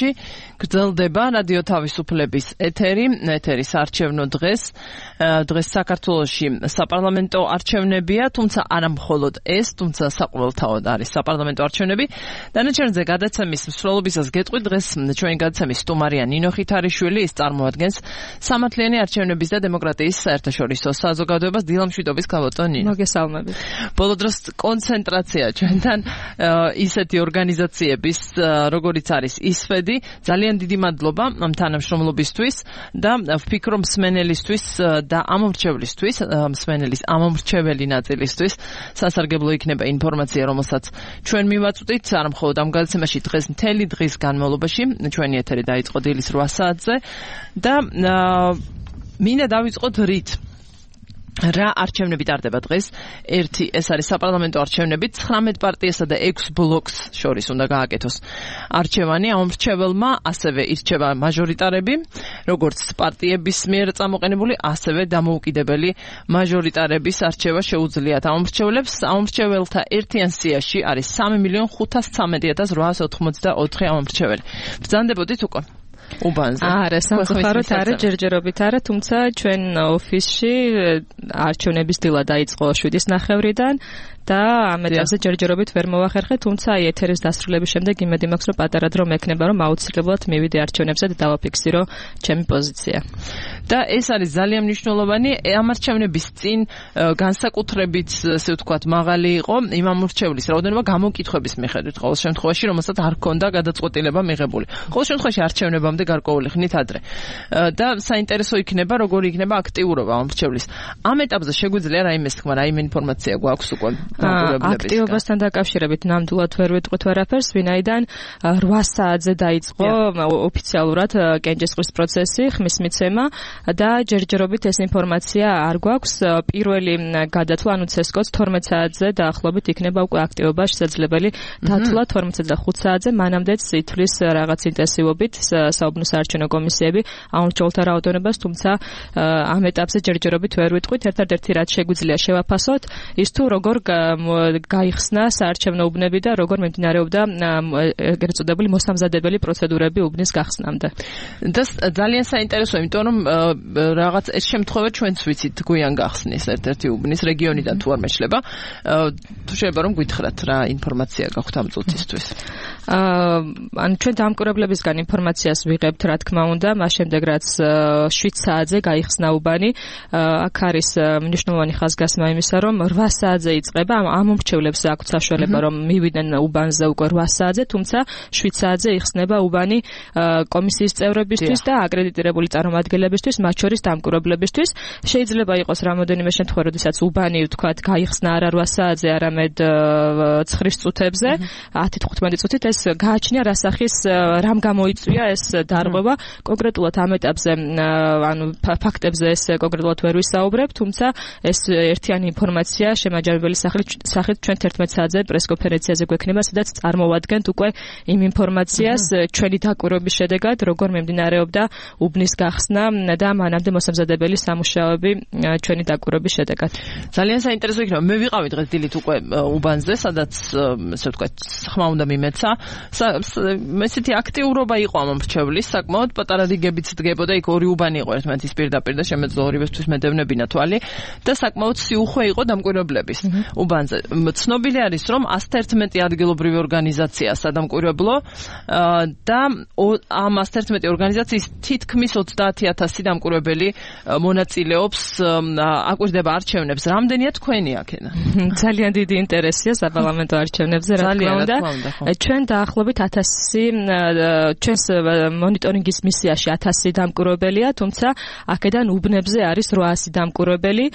საათში გრძელდება რადიო თავისუფლების ეთერის არჩევნო დღეს საქართველოში საპარლამენტო არჩევნებია, თუმცა არა მხოლოდ ეს, თუმცა საყოველთაოდ არის საპარლამენტო არჩევნები. დანარჩენზე გადაცემის მსვლელობისას გეტყვით, დღეს ჩვენი გადაცემის სტუმარია ნინო ხითარიშვილი, ის წარმოადგენს სამართლიანი არჩევნების და დემოკრატიის საერთაშორისო საზოგადოებას. დილამშვიდობის გაბატონ ნინო. მოგესალმებით. ბოლო დროს კონცენტრაცია ჩვენთან ისეთი ორგანიზაციების, როგორიც არის ისვედი. ძალიან დიდი მადლობა ამ თანამშრომლობისთვის და ვფიქრობ მსმენელისთვის და ამომრჩევლისთვის, მსმენელის ამომრჩეველი ნაწილისთვის სასარგებლო იქნება ინფორმაცია, რომელსაც ჩვენ მივაწვდით, არა მხოლოდ ამ გადაცემაში, დღეს მთელი დღის განმავლობაში. ჩვენი ეთერი დაიწყო დილის 8 საათზე და მინდა დავიწყოთ რით. რა არჩევნები ტარდება დღეს? ერთი, ეს არის საპარლამენტო არჩევნები, 19 პარტიასა და 6 ბლოკს შორის უნდა გააკეთოს არჩევანი. ამომრჩეველმა ასევე ირჩევა მაჟორიტარები, როგორც პარტიების მიერ წამოყენებული, ასევე დამოუკიდებელი მაჟორიტარების არჩევა შეუძლიათ ამომრჩევლებს. ამომრჩეველთა ერთიან სიაში არის 3,513,884 ამომრჩეველი. ბრძანდებოდით უკვე? უბანზე. არა, სამწუხაროდ არა, ჯერჯერობით არა, თუმცა ჩვენ ოფისში არჩევნების დილა დაიწყო 7:30-დან და ამ ეტაპზე ჯერჯერობით ვერ მოვახერხე, თუმცა ეთერის დასრულების შემდეგ იმედი მაქვს, რომ პატარა დრო მექნება, რომ აუცილებლად მივიდე არჩევნებზე და დავაფიქსირო ჩემი პოზიცია. და ეს არის ძალიან მნიშვნელოვანი. ამ არჩევნების წინ განსაკუთრებით, ასე ვთქვათ, მაღალი იყო იმ ამომრჩევლის რაოდენობა გამოკითხვების მიხედვით, ყოველ შემთხვევაში, რომელსაც არ ჰქონდა გადაწყვეტილება მიღებული. ყოველ შემთხვევაში არჩევნებამდე გარკვეული ხნით ადრე. და საინტერესო იქნება, როგორი იქნება აქტიურობა ამომრჩევლის. ამ ეტაპზე შეგვიძლია რაიმე თქმა, რაიმე ინფორმაცია გვაქვს უკვე? აქტიობასთან დაკავშირებით ნამდვილად ვერ ვიტყვით ვერაფერს, ვინაიდან 8 საათზე დაიწყო ოფიციალურად კენჭისყრის პროცესი, ხმის მიცემა და ჯერჯერობით ეს ინფორმაცია არ გვაქვს. პირველი გადათვლა, ანუ CSKOS 12 საათზე დაახლოებით იქნება უკვე აქტიობა შესაძლებელი დათვლა 12-5 საათზე, მანამდეც ითვლის რაღაც ინტენსივობით საუბნო საარჩევნო კომისიები ამომრჩეველთა რაოდენობას, თუმცა ამ ეტაპზე ჯერჯერობით ვერ ვიტყვით. ერთადერთი რაც შეგვიძლია შევაფასოთ, ის თუ როგორ გაიხსნა საარჩევნო უბნები და როგორ მიმდინარეობდა ეგრეთ წოდებული მოსამზადებელი პროცედურები უბნის გახსნამდე. და ძალიან საინტერესოა, იმიტომ რომ რაღაც ეს შემთხვევა ჩვენც ვიცით გვიან გახსნის ერთ-ერთი უბნის რეგიონიდან თუ არ მეშლება. თუ შეიძლება რომ გითხრათ რა ინფორმაცია გაქვთ ამ წუთისთვის? ან ჩვენ დამკვირვებლებისგან ინფორმაციას ვიღებთ, რა თქმა უნდა, მას შემდეგ რაც 7 საათზე გაიხსნა უბანი. აქ არის მნიშვნელოვანი ხაზგასმა იმისა, რომ 8 საათზე იწყება, ამომრჩევლებს აქვთ საშუალება, რომ მივიდნენ უბანზე უკვე 8 საათზე, თუმცა 7 საათზე იხსნება უბანი კომისიის წევრებისთვის და აკრედიტირებული წარმომადგენლებისთვის, მათ შორის დამკვირვებლებისთვის. შეიძლება იყოს რამოდენიმე შემთხვევა, როდესაც უბანი, ვთქვათ, გაიხსნა არა 8 საათზე, არამედ 9 წუთებზე, 10-15 წუთით. ეს გააჩნია რა სახის, რამ გამოიწვია ეს დარღვევა. კონკრეტულად ამ ეტაპზე, ანუ ფაქტებზე ეს კონკრეტულად ვერ ვისაუბრებ, თუმცა ეს ერთიანი ინფორმაცია შემაჯამებელი სახით ჩვენ 11 საათზე პრესკონფერენციაზე გვექნება, სადაც წარმოვადგენთ უკვე იმ ინფორმაციას ჩვენი დაკვირვების შედეგად, როგორ მიმდინარეობდა უბნის გახსნა და მანამდე მოსამზადებელი სამუშაოები ჩვენი დაკვირვების შედეგად. ძალიან საინტერესო იქნება. მე ვიყავი დღეს დილით უკვე უბანზე, სადაც ასე ვთქვათ, ხმა უნდა მიმეცა. ესეთი აქტიურობა იყო ამომრჩევლის, საკმაოდ პატარა რიგებიც დგებოდა, იქ ორი უბანი იყო ერთმანეთის პირდაპირ და შემეძლო ორივესთვის მედევნებინა თვალი და საკმაოდ სიუხვე იყო დამკვირვებლების უბანზე. ცნობილი არის, რომ 111 ადგილობრივი ორგანიზაცია სადამკვირვებლო და ამ 111 ორგანიზაციის თითქმის 30,000 დამკვირვებელი მონაწილეობს, აკვირდება არჩევნებს. რამდენია თქვენი აქედან? ძალიან დიდი ინტერესია საპარლამენტო არჩევნებზე, რა თქმა უნდა. ჩვენ დაახლოებით 1000 ჩვენს მონიტორინგის მისიაში 1000 დამკვირვებელია, თუმცა აქედან უბნებზე არის 800 დამკვირვებელი,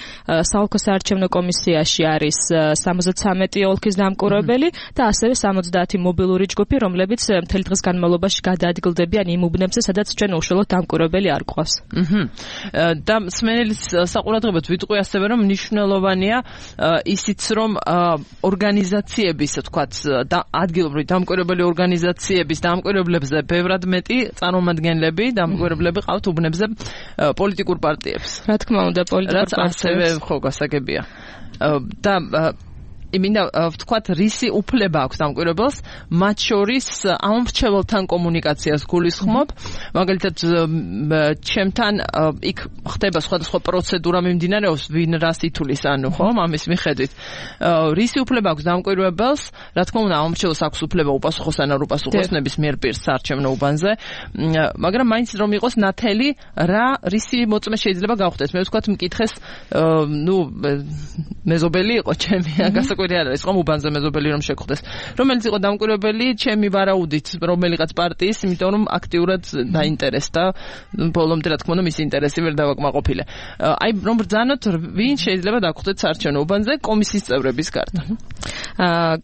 საოლქო საარჩევნო კომისიაში არის 73 ოლქის დამკვირვებელი და ასევე 70 მობილური ჯგუფი, რომლებიც მთელი დღის განმავლობაში გადაადგილდებიან იმ უბნებზე, სადაც ჩვენ უშუალოდ დამკვირვებელი არ გვყავს. და მსმენელის საყურადღებოდ ვიტყვი ასევე, რომ მნიშვნელოვანია ისიც, რომ ორგანიზაციების, თქვათ, ადგილობრივი დამკვირვებელი ორგანიზაციების დამკვირვებლებზე ბევრად მეტი წარმომადგენლები, დამკვირვებლები ყავთ უბნებზე პოლიტიკურ პარტიებს. რა თქმა უნდა, პოლიტიკურ პარტიებს. ასევე ხო გასაგებია. და მინდა ვთქვათ, რისი უფლება აქვს დამკვირვებელს, მათ შორის ამომრჩეველთან კომუნიკაციას გულისხმობ, მაგალითად ჩემთან იქ ხდება სხვადასხვა პროცედურა მიმდინარეობს, ვინ რას ითulis, ანუ ხო, ამის მიხედვით. რისი უფლება აქვს დამკვირვებელს, რა თქმა უნდა, ამომრჩეველს აქვს უფლება უპასუხოს ან არ უპასუხოს ნებისმიერ პირს საარჩევნო უბანზე, მაგრამ მაინც რომ იყოს ნათელი, რისი მოწმე შეიძლება გავხდეს. მე ვთქვათ, მკითხეს, მეზობელი იყო ჩემი, გასაკვირი არ არის, ხომ უბანზე მეზობელი რომ შეგხვდეს. რომელიც იყო დამკვირვებელი, ჩემი ვარაუდით, რომელიღაც პარტიის, იმიტომ რომ აქტიურად დაინტერესდა, ბოლომდე რა თქმა უნდა, მისი ინტერესი ვერ დავაკმაყოფილე. აი, რომ ბრძანოთ, ვინ შეიძლება დაგხვდეთ საარჩევნო უბანზე კომისიის წევრების გარდა.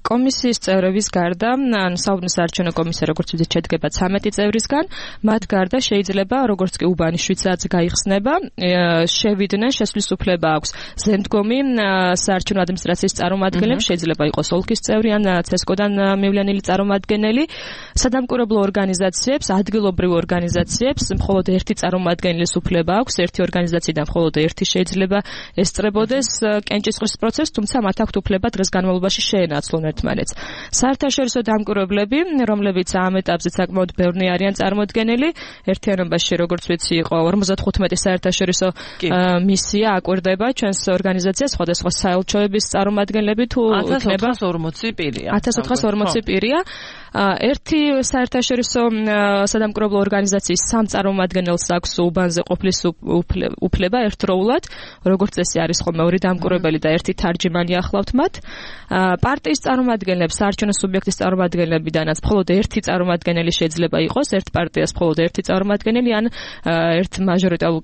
კომისიის წევრების გარდა, ან საარჩევნო კომისია როგორც ვთქვით, შედგება 13 წევრისგან, მათ გარდა შეიძლება როგორც კი უბანი 7 საათზე გაიხსნება, შევიდნენ, შესვლის უფლება აქვს ზემდგომი საარჩევნო ადმინისტრაციის წარმომადგენლებს, შეიძლება იყოს ოლქის წევრი ან ცესკოდან მივლენილი წარმომადგენელი, სადამკვირვებლო ორგანიზაციებს, ადგილობრივ ორგანიზაციებს მხოლოდ ერთი წარმომადგენლის უფლება აქვს, ერთი ორგანიზაციიდან მხოლოდ ერთი შეიძლება ესწრებოდეს კენჭისყრის პროცესს, თუმცა მათ აქვთ უფლება დღეს განმავლობაში შეენაცვლონ ერთმანეთს. საერთაშორისო დამკვირვებლები, რომლებიც ამ ეტაპზე საკმაოდ ბევრი არიან წარმოდგენილი, ერთიანობაში როგორც ვიცი იყო 55 საერთაშორისო მისია აკვირდება ჩვენს ორგანიზაციას, სხვადასხვა საელჩოების წარმომადგენლები თუ იქნება 1440 პირია. 1440 პირია. ერთი საერთაშორისო სადამკვირვებლო ორგანიზაციის 3 წარმომადგენელს აქვს უბანზე ყოფნის უფლება ერთდროულად, როგორც წესი არის ხოლმე 2 დამკვირვებელი და 1 თარჯიმანი ახლავთ მათ. პარტიის წარმომადგენლებს, საარჩევნო სუბიექტის წარმომადგენლებიდანაც მხოლოდ 1 წარმომადგენელი შეიძლება იყოს, ერთ პარტიას მხოლოდ 1 წარმომადგენელი ან ერთ მაჟორიტარულ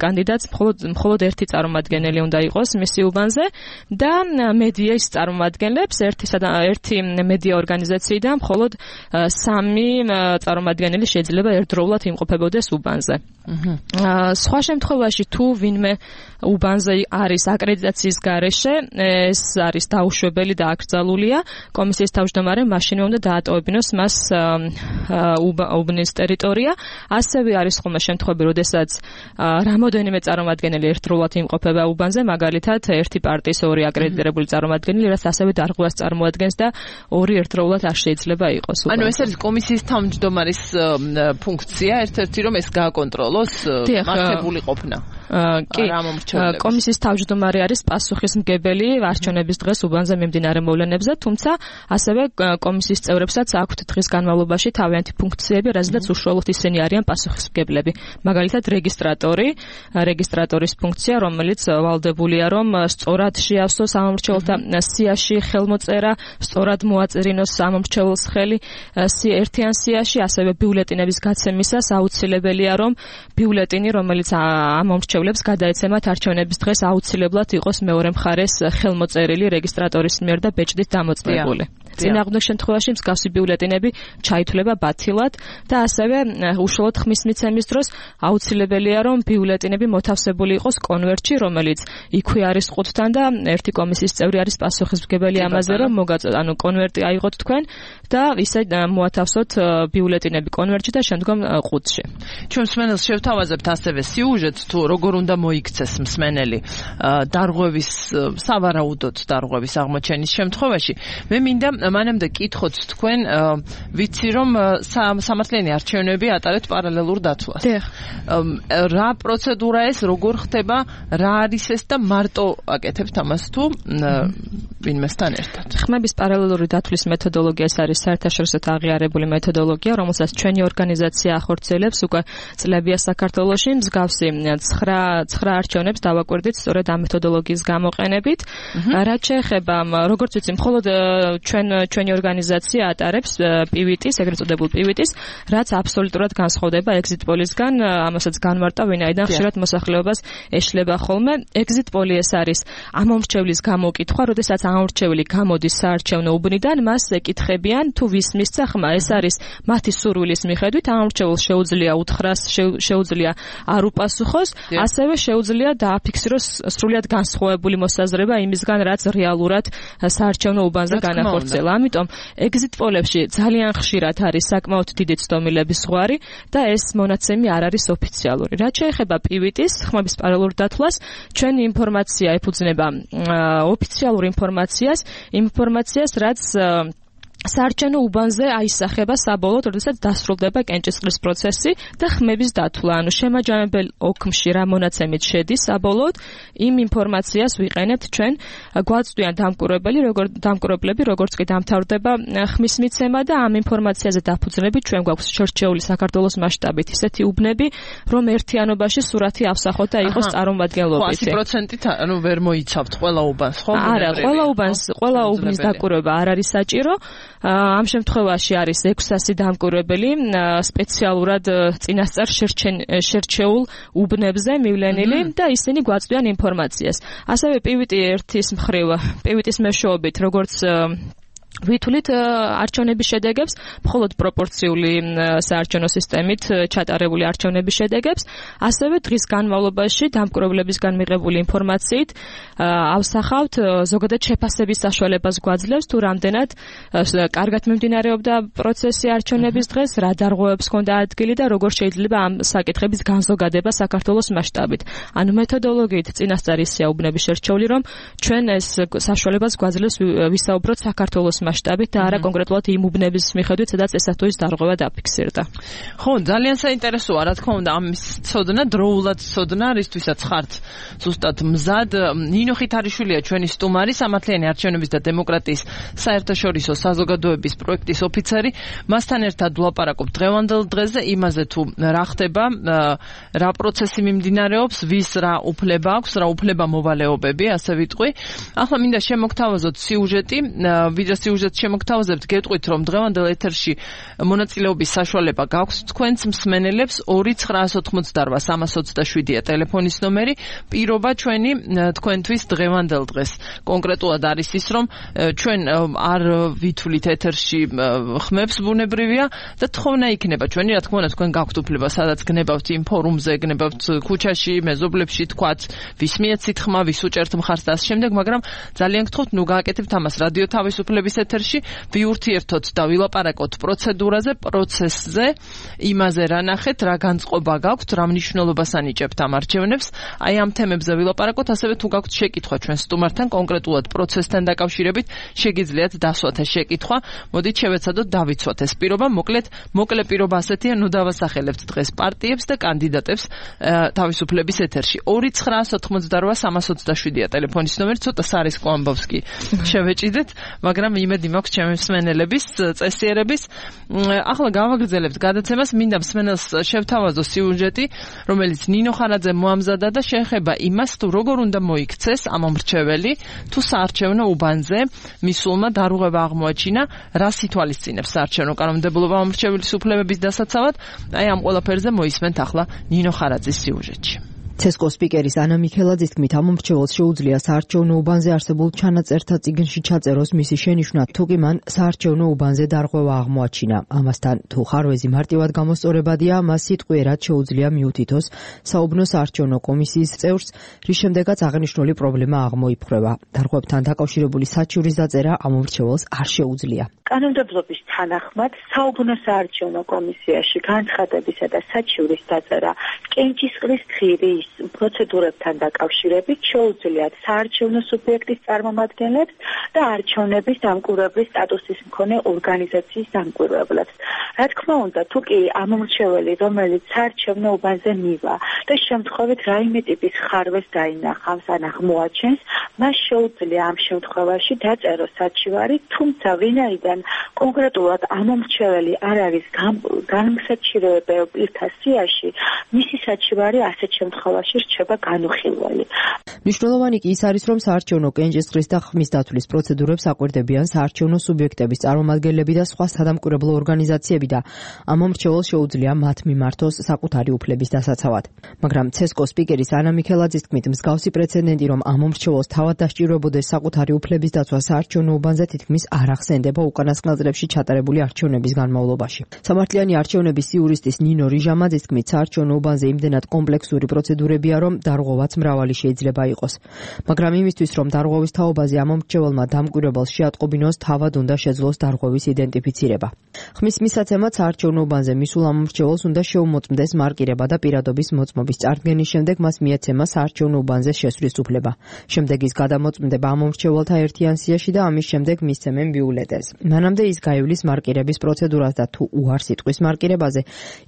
კანდიდატს მხოლოდ 1 წარმომადგენელი უნდა იყოს მისი უბანზე და მედიის წარმომადგენლებს ერთი მედია ორგანიზაციიდან მხოლოდ 3 წარმომადგენელი შეიძლება ერთდროულად იმყოფებოდეს უბანზე. სხვა შემთხვევაში თუ ვინმე უბანზე არის აკრედიტაციის გარეშე, ეს არის დაუშვებელი და აკრძალულია, კომისიის თავმჯდომარემ მაშინვე უნდა დაატოვებინოს მას უბნის ტერიტორია. ასევე არის ხოლმე შემთხვევები, როდესაც რამოდენიმე წარმომადგენელი ერთდროულად იმყოფება უბანზე, მაგალითად, ერთი პარტიის 2 აკრედიტირებული წარმომადგენელი, რაც ასევე დარღვევას წარმოადგენს და 2 ერთდროულად არ შეიძლება იყოს უბანზე. ანუ ეს არის კომისიის თავმჯდომარის ფუნქცია, ერთ-ერთი რომ ეს გააკონტროლოს მართებული ყოფნა. კი, კომისიის თავმჯდომარე არის პასუხისმგებელი არჩევნების დღეს უბანზე მიმდინარე მოვლენებზე, თუმცა ასევე კომისიის წევრებსაც აქვთ დღის განმავლობაში თავიანთი ფუნქციები, რაზედაც უშუალოდ ისინი არიან პასუხისმგებლები. მაგალითად, რეგისტრატორის ფუნქცია, რომელიც ვალდებულია, რომ სწორად შეავსოს ამომრჩეველთა სიაში ხელმოწერა, სწორად მოაწერინოს ამომრჩეველს ხელი ერთიან სიაში, ასევე ბიულეტინების გაცემისას აუცილებელია, რომ ბიულეტინი, რომელიც ამომრჩევლებს გადაეცემათ არჩევნების დღეს, აუცილებლად იყოს მეორე მხარეს ხელმოწერილი რეგისტრატორის მიერ და ბეჭდით დამოწმებული. წინააღმდეგ შემთხვევაში მსგავსი ბიულეტინები ჩაითვლება ბათილად და ასევე უშუალოდ ხმის მიცემის დროს აუცილებელია, რომ ბიულეტინები მოთავსებული იყოს კონვერტში, რომელიც იქვე არის ყუთთან და ერთი კომისიის წევრი არის პასუხისმგებელი ამაზე, რომ კონვერტი აიღოთ თქვენ და ისე მოათავსოთ ბიულეტინები კონვერტში და შემდგომ ყუთში. ჩვენ მსმენელს შევთავაზებთ ასევე სიუჟეტს, თუ როგორ უნდა მოიქცეს მსმენელი დარღვევის, სავარაუდოდ დარღვევის აღმოჩენის შემთხვევაში. მე მინდა მანამდე კითხოთ თქვენ, ვიცი რომ სამართლიანი არჩევნები ატარებთ პარალელურ დათვლას. რა პროცედურა ეს, როგორ ხდება, რა არის ეს და მარტო აკეთებთ ამას თუ ვინმესთან ერთად? ხმების პარალელური დათვლის მეთოდოლოგია ეს არის საერთაშორისოდ აღიარებული მეთოდოლოგია, რომელსაც ჩვენი ორგანიზაცია ახორციელებს უკვე წლებია საქართველოში, მსგავსი 9 არჩევნებს დავაკვირდით სწორედ ამ მეთოდოლოგიის გამოყენებით. რაც შეეხება, როგორც ვიცი, მხოლოდ ჩვენი ორგანიზაცია ატარებს PVT-ს, ეგრეთ წოდებულ PVT-ს, რაც აბსოლუტურად განსხვავდება exit poll-ისგან, ამასაც განმარტავ, ვინაიდან ხშირად მოსახლეობას ეშლება ხოლმე. exit poll-ი ეს არის ამომრჩევლის გამოკითხვა, როდესაც ამომრჩეველი გამოდის საარჩევნო უბნიდან, მას ეკითხებიან, თუ ვის მისცა ხმა, ეს არის მათი სურვილის მიხედვით, ამომრჩეველს შეუძლია უთხრას, შეუძლია არ უპასუხოს, ასევე შეუძლია დააფიქსიროს სრულიად განსხვავებული მოსაზრება იმისგან, რაც რეალურად საარჩევნო უბანზე განახორციელა. ამიტომ exit poll-ებში ძალიან ხშირად არის საკმაოდ დიდი ცდომილების ზღვარი და ეს მონაცემი არ არის ოფიციალური. რაც შეეხება პივიტის ხმების პარალელურ დათვლას, ჩვენი ინფორმაცია ეფუძნება ოფიციალურ ინფორმაციას, რაც საარჩევნო უბანზე აისახება საბოლოოდ, როდესაც დასრულდება კენჭისყრის პროცესი და ხმების დათვლა. ანუ შემაჯამებელ ოქმში რა მონაცემით შედის საბოლოოდ, იმ ინფორმაციას ვიყენებთ ჩვენ გვაწვდიან დამკვირვებლები, როგორც კი დამთავრდება ხმის მიცემა და ამ ინფორმაციაზე დაფუძნებით ჩვენ გვაქვს შერჩეული საქართველოს მასშტაბით ისეთი უბნები, რომ ერთიანობაში სურათი ავსახოთ და იყოს წარმომადგენლობითი. 100%-ით ანუ ვერ მოიცავთ ყველა უბანს, ხო? არა, ყველა უბნის დაკვირვება არ არის საჭირო. ამ შემთხვევაში არის 600 დამკვირვებელი სპეციალურად წინასწარ შერჩეულ უბნებზე მივლენილი და ისინი გვაწვდიან ინფორმაციას. ასევე პივიტის მეშვეობით, როგორც ვითვლით არჩევნების შედეგებს, მხოლოდ პროპორციული საარჩევნო სისტემით ჩატარებული არჩევნების შედეგებს, ასევე დღის განმავლობაში დამკვირვებლებისგან მიღებული ინფორმაციით ავსახავთ ზოგადად შეფასების საშუალებას გვაძლევს თუ რამდენად კარგად მიმდინარეობდა პროცესი არჩევნების დღეს, რა დარღვევებს ჰქონდა ადგილი და როგორ შეიძლება ამ საკითხების განზოგადება საქართველოს მასშტაბით. ანუ მეთოდოლოგიით წინასწარ ისეა უბნების შერჩეული, რომ ჩვენ ეს საშუალებას გვაძლევს ვისაუბროთ საქართველოს მასშტაბით და არა კონკრეტულად იმ უბნების მიხედვით, სადაც ესა თუ ის დარღვევა დაფიქსირდა. ხო, ძალიან საინტერესოა, რა თქმა უნდა, ამის ცოდნა, დროულად ცოდნა, რისთვისაც ხართ ზუსტად მზად. ნინო ხითარიშვილია ჩვენი სტუმარი, სამართლიანი არჩევნების და დემოკრატიის საერთაშორისო საზოგადოების პროექტის ოფიცერი. მასთან ერთად ვლაპარაკობთ დღევანდელ დღეზე იმაზე თუ რა ხდება, რა პროცესი მიმდინარეობს, ვის რა უფლება აქვს, რა უფლება მოვალეობები, ასე ვიტყვი. ახლა მინდა შემოგთავაზოთ სიუჟეტი, ვიდრე სიუჟეტს შემოგთავაზებთ, გეტყვით, რომ დღევანდელ ეთერში მონაწილეობის საშუალება გაქვს თქვენს მსმენელებს 2988327-ია ტელეფონის ნომერი. პირობა ჩვენი თქვენთვის დღევანდელ დღეს კონკრეტულად არის ის, რომ ჩვენ არ ვითვლით ეთერში ხმებს ბუნებრივია და თხოვნა იქნება ჩვენი, რა თქმა უნდა, თქვენ გაქვთ უფლება, სადაც გნებავთ იმ ფორუმზე, გნებავთ ქუჩაში, მეზობლებში, თქვათ, ვის მიეცით ხმა, ვის უჭერთ მხარს და ამ შემდეგ, მაგრამ ძალიან გთხოვთ, ნუ გააკეთებთ ამას რადიო თავისუფლების ეთერში, ვიურთიერთოთ და ვილაპარაკოთ პროცესზე, იმაზე რა ნახეთ, რა განწყობა გაქვთ, რა მნიშვნელობას ანიჭებთ ამ არჩევნებს, აი ამ თემებზე ვილაპარაკოთ, ასევე თუ გაქვთ შეკითხვა ჩვენ სტუმართან კონკრეტულად პროცესთან დაკავშირებით, შეგიძლიათ დასვათ ეს შეკითხვა. მოდით შევეცადოთ დავიცვათ ეს პირობა, მოკლე პირობა ასეთია, ნუ დავასახელებთ დღეს პარტიებს და კანდიდატებს თავისუფლების ეთერში. 2988327-ია ტელეფონის ნომერი, ცოტა სარისკო ამბავს კი შევეჭიდეთ, მაგრამ იმედი მაქვს ჩემი მსმენელების წესიერების. ახლა გავაგრძელებთ გადაცემას, მინდა მსმენელს შევთავაზო სიუჟეტი, რომელიც ნინო ხანაძემ მოამზადა და შეეხება იმას, თუ როგორ უნდა მოიქცეს ამ მრჩეველი, თუ საარჩევნო უბანზე მისულმა დარღვევა აღმოაჩინა, რას ითვალისწინებს საარჩევნო კანონმდებლობა ამ მრჩეველის უფლებების დასაცავად. აი ამ ყველაფერზე მოისმენთ ახლა ნინო ხანაძის სიუჟეტში. ცესკო სპიკერის ანა მიქელაძის თქმით, ამ მრჩეველს შეუძლია საარჩევნო უბანზე არსებულ ჩანაწერთა წიგნში ჩაწეროს მისი შენიშვნა, თუკი მან საარჩევნო უბანზე დარღვევა აღმოაჩინა. ამასთან, თუ ხარვეზი მარტივად გამოსწორებადია, მას სიტყვიერად შეუძლია მიუთითოს საუბნო საარჩევნო კომისიის წევრს, რის შემდეგაც აღნიშნული პრობლემა აღმოიფხვრება. დარღვევებთან დაკავშირებული საჩივრის დაწერა ამ მრჩეველს არ შეუძლია. კანონმდებლობის თანახმად საუბნო საარჩევნო კომისიაში განცხადებისა და საჩივრის დაწერა კენჭისყრის ხირის პროცედურებთან დაკავშირებით შეუძლიათ საარჩევნო სუბიექტის წარმომადგენლებს და არჩევნების დამკვირვებლის სტატუსის მქონე ორგანიზაციის დამკვირვებლებს. რა თქმა უნდა, თუ კი ამ მრჩეველი, რომელიც საარჩევნო უბანზე მივა და შემთხვევით რაიმე ტიპის ხარვეს დაინახავს ან აღმოაჩენს, მას შეუძლია ამ შემთხვევაში დაწეროს საჩივარი, თუმცა ვინაიდან კონკრეტულად ამ მრჩეველი არ არის განსაჩივრებელ პირთა სიაში, მისი საჩივარი ასეთ შემთხვევაში რჩება განუხილველი. მნიშვნელოვანი კი ის არის, რომ საარჩევნო კენჭისყრის და ხმის დათვლის პროცედურებს აკვირდებიან საარჩევნო სუბიექტების წარმომადგენლები და სხვა სადამკვირვებლო ორგანიზაციები და ამ მრჩეველს შეუძლია მათ მიმართოს საკუთარი უფლების დასაცავად. მაგრამ ცესკო სპიკერის ანა მიქელაძის თქმით, მსგავსი პრეცედენტი, რომ ამ მრჩეველს თავად დასჭიროებოდეს საკუთარი უფლების დაცვა საარჩევნო უბანზე, თითქმის არ ახსენდება უკანასკნელ წლებში ჩატარებული არჩევნების განმავლობაში. სამართლიანი არჩევნების იურისტის ნინო რიჟამაძის თქმით, საარჩევნო უბანზე იმდენად კომპლექსური პროცედურა პროცედურებია, რომ დარღვევაც მრავალი შეიძლება იყოს. მაგრამ იმისთვის, რომ დარღვევის თაობაზე ამომრჩეველმა დამკვირვებელს შეატყობინოს, თავად უნდა შეძლოს დარღვევის იდენტიფიცირება. ხმის მისაცემად საარჩევნო უბანზე მისულ ამომრჩეველს უნდა შეუმოწმდეს მარკირება და პირადობის მოწმობის წარდგენის შემდეგ მას მიეცემა საარჩევნო უბანზე შესვლის უფლება. შემდეგ ის გადამოწმდება ამომრჩეველთა ერთიან სიაში და ამის შემდეგ მისცემენ ბიულეტენს. მანამდე ის გაივლის მარკირების პროცედურას და თუ უარს იტყვის მარკირებაზე,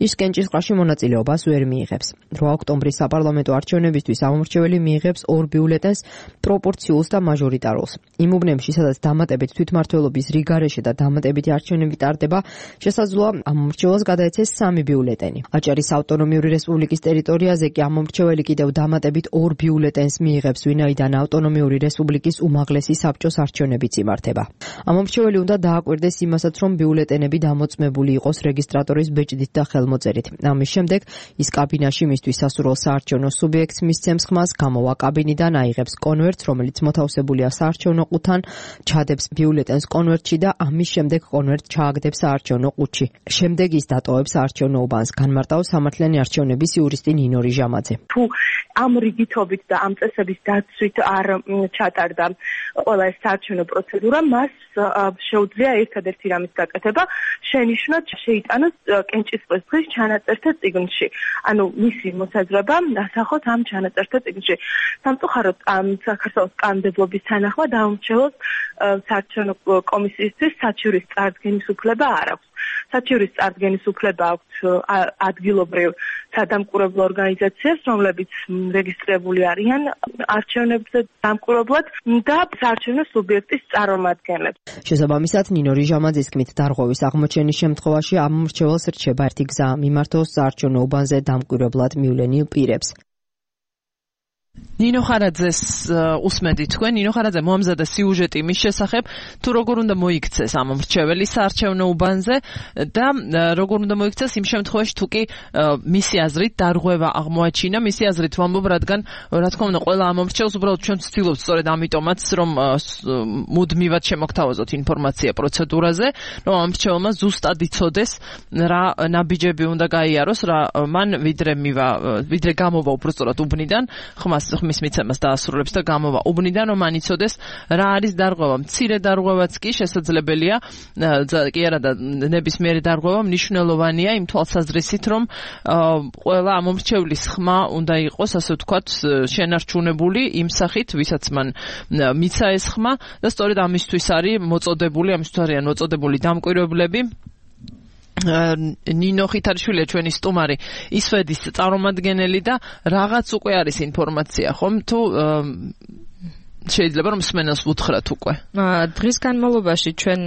ის კენჭისყრაში მონაწილეობას ვერ მიიღებს. 8 ოქტომბრის საპარლამენტო არჩევნებისთვის ამომრჩეველი მიიღებს 2 ბიულეტენს, პროპორციულს და მაჟორიტარულს. იმ უბნებში, სადაც დამატებით თვითმმართველობის რიგარეშე და დამატებითი არჩევნები ტარდება, შესაძლოა ამომრჩეველს გადაეცეს 3 ბიულეტენი. აჭარის ავტონომიური რესპუბლიკის ტერიტორიაზე კი ამომრჩეველი კიდევ დამატებით 2 ბიულეტენს მიიღებს, ვინაიდან ავტონომიური რესპუბლიკის უმაღლესი საბჭოს არჩევნებიც იმართება. ამომრჩეველი უნდა დააკვირდეს იმასაც, რომ ბიულეტენები დამოწმებული იყოს რეგისტრატორის ბეჭდით და ხელმოწერით. ამის შემდეგ ის კაბინაში მისთვის სასურველ საარჩევნო სუბიექტს მისცემს ხმას, გამოვა კაბინიდან, აიღებს კონვერტს, რომელიც მოთავსებულია საარჩევნო ყუთთან, ჩადებს ბიულეტენს კონვერტში და ამის შემდეგ კონვერტს ჩააგდებს საარჩევნო ყუთში. შემდეგ ის დატოვებს საარჩევნო უბანს, განმარტავს სამართლიანი არჩევნების იურისტი ნინო რიჟამაძე. თუ ამ რიგითობით და ამ წესების დაცვით არ ჩატარდა ყველა ეს საარჩევნო პროცედურა, მას შეუძლია ერთადერთი რამის გაკეთება, შენიშვნა შეიტანოს კენჭისყრის დღის ჩანაწერთა წიგნში. ანუ მისი მოსაზრება ასახოთ ამ ჩანაწერთა წიგნში. სამწუხაროდ საქართველოს კანონმდებლობის თანახმად ამომრჩეველს საარჩევნო კომისიისთვის საჩივრის წარდგენის უფლება არ აქვს. საჩივრის წარდგენის უფლება აქვს ადგილობრივ სადამკვირვებლო ორგანიზაციებს, რომლებიც რეგისტრირებული არიან არჩევნებზე დამკვირვებლად და საარჩევნო სუბიექტის წარმომადგენლებს. შესაბამისად, ნინო რიჟამაძის თქმით, დარღვევის აღმოჩენის შემთხვევაში ამომრჩეველს რჩება ერთი გზა, მიმართოს საარჩევნო უბანზე დამკვირვებლად მივლენილ პირებს. ნინო ხარაძეს უსმენთ თქვენ. ნინო ხარაძე მოამზადა სიუჟეტი მის შესახებ, თუ როგორ უნდა მოიქცეს ამომრჩეველი საარჩევნო უბანზე და როგორ უნდა მოიქცეს იმ შემთხვევაში, თუ კი მისი აზრით დარღვევა აღმოაჩინა. მისი აზრით ვამბობ, რადგან რა თქმა უნდა ყველა ამომრჩეველს უბრალოდ ჩვენ ვცდილობთ სწორედ ამიტომაც, რომ მუდმივად შემოგთავაზოთ ინფორმაცია პროცედურაზე, რომ ამომრჩეველმა ზუსტად იცოდეს რა ნაბიჯები უნდა გაიაროს, რა მან ვიდრე გამოვა უბრალოდ უბნიდან, ხმის მიცემას დაასრულებს და გამოვა უბნიდან, რომ მან იცოდეს რა არის დარღვევა. მცირე დარღვევაც კი შესაძლებელია, კი არა და ნებისმიერი დარღვევა მნიშვნელოვანია იმ თვალსაზრისით, რომ ყველა ამომრჩევლის ხმა უნდა იყოს, ასე ვთქვათ, შენარჩუნებული იმ სახით, ვისაც მან მიცა ეს ხმა და სწორედ ამისთვის არიან მოწოდებული დამკვირვებლები. ნინო ხითარიშვილია ჩვენი სტუმარი, ისვედის წარმომადგენელი და რაღაც უკვე არის ინფორმაცია, ხომ? თუ შეიძლება რომ მსმენელს ვუთხრათ უკვე. დღის განმავლობაში ჩვენ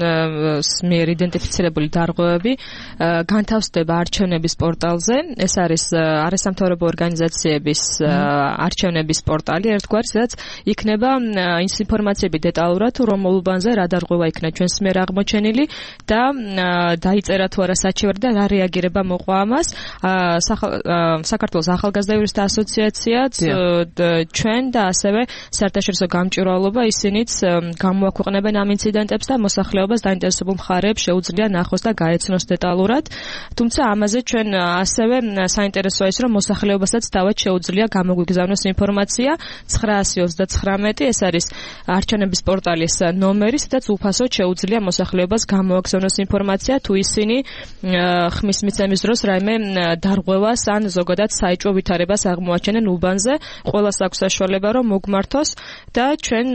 მიერ იდენტიფიცირებული დარღვევები განთავსდება არჩევნების პორტალზე. ეს არის არასამთავრობო ორგანიზაციების არჩევნების პორტალი, ერთგვარი, სადაც იქნება ის ინფორმაციები დეტალურად, რომელ უბანზე რა დარღვევა იქნა ჩვენს მიერ აღმოჩენილი და დაიწერა თუ არა საჩივარი და რა რეაგირება მოყვა ამას. საქართველოს ახალგაზრდა იურისტთა ასოციაციაც, ჩვენ და ასევე საერთაშორისო გამჭვირვალობა, ისინიც გამოაქვეყნებენ ამ ინციდენტებს და მოსახლეობას დაინტერესებულ მხარეებს შეუძლია ნახოს და გაეცნოს დეტალურად. თუმცა ამაზე ჩვენ ასევე საინტერესოა ის, რომ მოსახლეობასაც თავად შეუძლია გამოგვიგზავნოს ინფორმაცია. 929 ეს არის არჩევნების პორტალის ნომერი, სადაც უფასოდ შეუძლია მოსახლეობას გამოაგზავნოს ინფორმაცია, თუ ისინი ხმის მიცემის დროს რაიმე დარღვევას ან ზოგადად საეჭვო ვითარებას აღმოაჩენენ უბანზე. ყველას აქვს საშუალება, რომ მოგმართოს და ჩვენ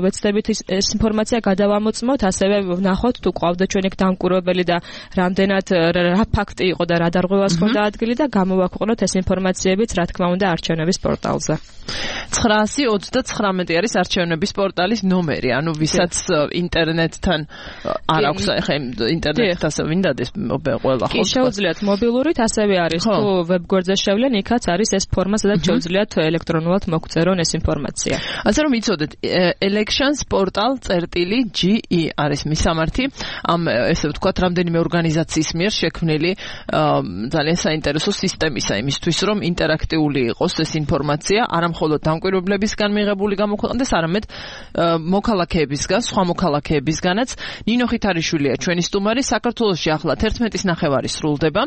ვეცდებით ეს ინფორმაცია გადავამოწმოთ, ასევე ვნახოთ თუ ყავდა ჩვენ ეგ დამკვირვებელი და რამდენად რა ფაქტი იყო და რა დარღვევას ჰქონდა ადგილი და გამოვაქვეყნოთ ეს ინფორმაციებიც, რა თქმა უნდა, არჩევნების პორტალზე. 929 არის არჩევნების პორტალის ნომერი, ანუ ვისაც ინტერნეტთან არ აქვს, ახლა ინტერნეტთან ასე ვინდადეს ყველა ხო? კი, შეუძლიათ მობილურით, ასევე არის თუ ვებგვერდზე შევლენ, იქაც არის ეს ფორმა, სადაც შეუძლიათ ელექტრონულად მოგწერონ ეს ინფორმაცია. ასე რომ იცოდეთ, elections.portal.ge არის მისამართი ამ ესე ვთქვათ რამდენიმე ორგანიზაციის მიერ შექმნილი ძალიან საინტერესო სისტემისა იმისთვის რომ ინტერაქტიული იყოს ეს ინფორმაცია არა მხოლოდ დამკვირვებლებისგან მიღებული გამოქვეყნდეს არამედ მოქალაქეებისგან სხვა მოქალაქეებისგანაც ნინო ხითარიშვილია ჩვენი სტუმარი საქართველოში ახლა 11:30 სრულდება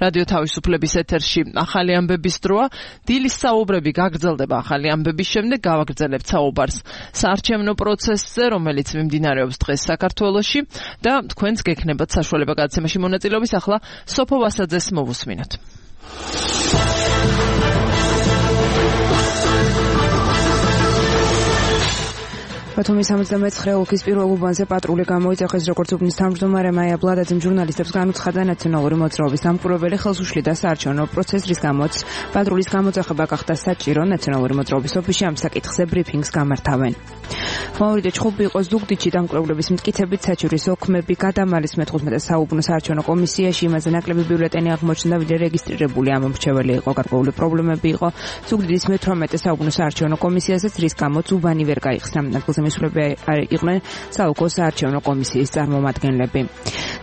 რადიო თავისუფლების ეთერში ახალი ამბების დროა დილის საუბრები გაგრძელდება ახალი ამბების შემდეგ გავაგრძელებთ საუბარს საარჩევნო პროცესზე რომელიც მიმდინარეობს დღეს საქართველოში და თქვენს გექნებათ საშუალება გადაცემაში მონაწილეობის ახლა სოფო ვასაძეს მოვუსმინოთ ბათუმის 79 ოლქის პირველ უბანზე პატრული გამოიძახეს როგორც უბნის თავმჯდომარე მაია ბლადაძემ ჟურნალისტებს განუცხადა ნაციონალური მოძრაობის დამკვირვებელი ხელს უშლიდა საარჩევნო პროცესს რის გამოც პატრულის გამოძახება გახდა საჭირო ნაციონალური მოძრაობის ოფისში ამ საკითხზე ბრიფინგს გამართავენ მავრიდე ჩხუბი იყო ზუგდიდში დამკვირვებლების მტკიცებით საჭირის ოქმები გადამალის მე-15 საუბნო საარჩევნო კომისიაში იმაზე ნაკლები ბიულეტენი აღმოჩნდა ვიდრე რეგისტრირებული ამ მრჩეველი იყო გარკვეული პრობლემები იყო ზუგდიდის მე-18 საუბნო საარჩევნო კომისიასაც რის გამოც უბანი ვერ გაიხსნა ადგილზე მისვლები იყვნენ საუკო საარჩევნო კომისიის წარმომადგენლები.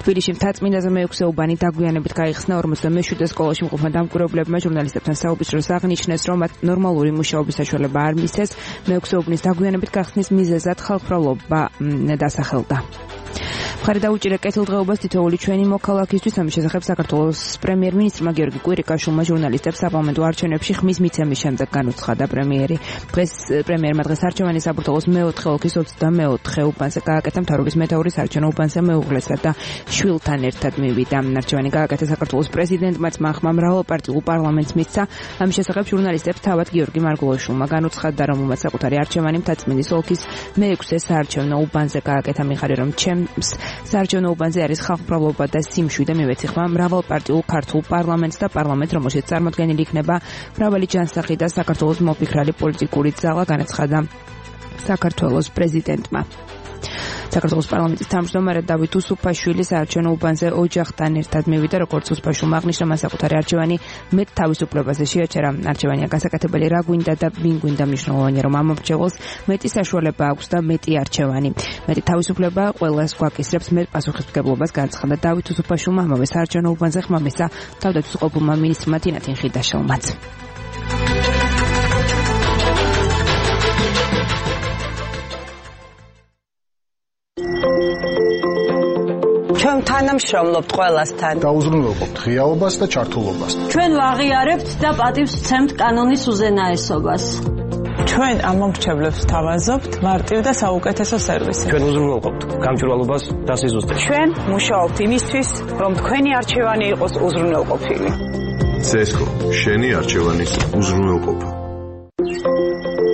თბილისში მთაწმინდაზე მე-6 უბანი დაგვიანებით გაიხსნა 47 სკოლაში მყოფმა დამკვირვებლებმა ჟურნალისტებთან საუბრის დროს აღნიშნეს, რომ მათ ნორმალური მუშაობის საშუალება არ მისცეს, მე-6 უბნის დაგვიანებით გახსნის მიზეზად ხალხმრავლობა დასახელდა. მხარი დაუჭირა კეთილდღეობას თითოეული ჩვენი მოქალაქისთვის ამის შესახებ საქართველოს პრემიერ-მინისტრმა გიორგი კვირიკაშვილმა ჟურნალისტებს საპარლამენტო არჩევნებში ხმის მიცემის შემდეგ განუცხადა პრემიერი. პრემიერმა დღეს არჩევანი საბურთალოს მე-4 ოლქის 24 უბანზე გააკეთა მთავრობის მეთაური საარჩევნო უბანზე მეუღლესა და შვილთან ერთად მივიდა. არჩევანი გააკეთა საქართველოს პრეზიდენტმა ძმახმა მრავალპარტიულ პარლამენტს მისცა. ამის შესახებ ჟურნალისტებს თავად გიორგი მარგულაშვილმა განუცხადა, რომ უმეტ საკუთარი არჩევანი მთაწმინდის ოლქის მე-6 საარჩევნო უბანზე გააკეთა მიხარი რომ ჩემს საარჩევნო უბანზე არის ხალხმრავლობა და სიმშვიდე მივეციხმა მრავალპარტიულ ქართულ პარლამენტს და პარლამენტს რომელშიც წარმოდგენილი იქნება მრავალი ჯანსაღი და საქართველოს მოფიქრალი პოლიტიკური ძალა განაცხადა საქართველოს პრეზიდენტმა. საქართველოს პარლამენტის თავმჯდომარე დავით უსუფაშვილი საარჩევნო უბანზე ოჯახთან ერთად მივიდა, როგორც უსუფაშვილმა აღნიშნა, მან საკუთარი არჩევანი მეტ თავისუფლებაზე შეაჩერა. არჩევანია გასაკეთებელი რა გვინდა და ვინ გვინდა, მნიშვნელოვანია, რომ ამ მომრჩეველს მეტი საშუალება აქვს და მეტი არჩევანი. მეტი თავისუფლება ყველას გვაკისრებს მეტ პასუხისმგებლობას, განაცხადა დავით უსუფაშვილმა ამავე საარჩევნო უბანზე ხმა მისცა თავდაცვითყოფილმა მინისტრმა თინათინ ხიდაშელმაც. ჩვენ თანამშრომლობთ ყველასთან. დაუზრუნველყოფთ ღიაობას და ჩართულობას. ჩვენ ვაღიარებთ და პატივს ვცემთ კანონის უზენაესობას. ჩვენ ამ მომრჩევლებს თავაზობთ მარტივ და საუკეთესო სერვისი. ჩვენ უზრუნველყოფთ გამჭვირვალობას და სიზუსტეს. ჩვენ მუშაობთ იმისთვის, რომ თქვენი არჩევანი იყოს უზრუნველყოფილი. CESCO, შენი არჩევანის უზრუნველყოფა.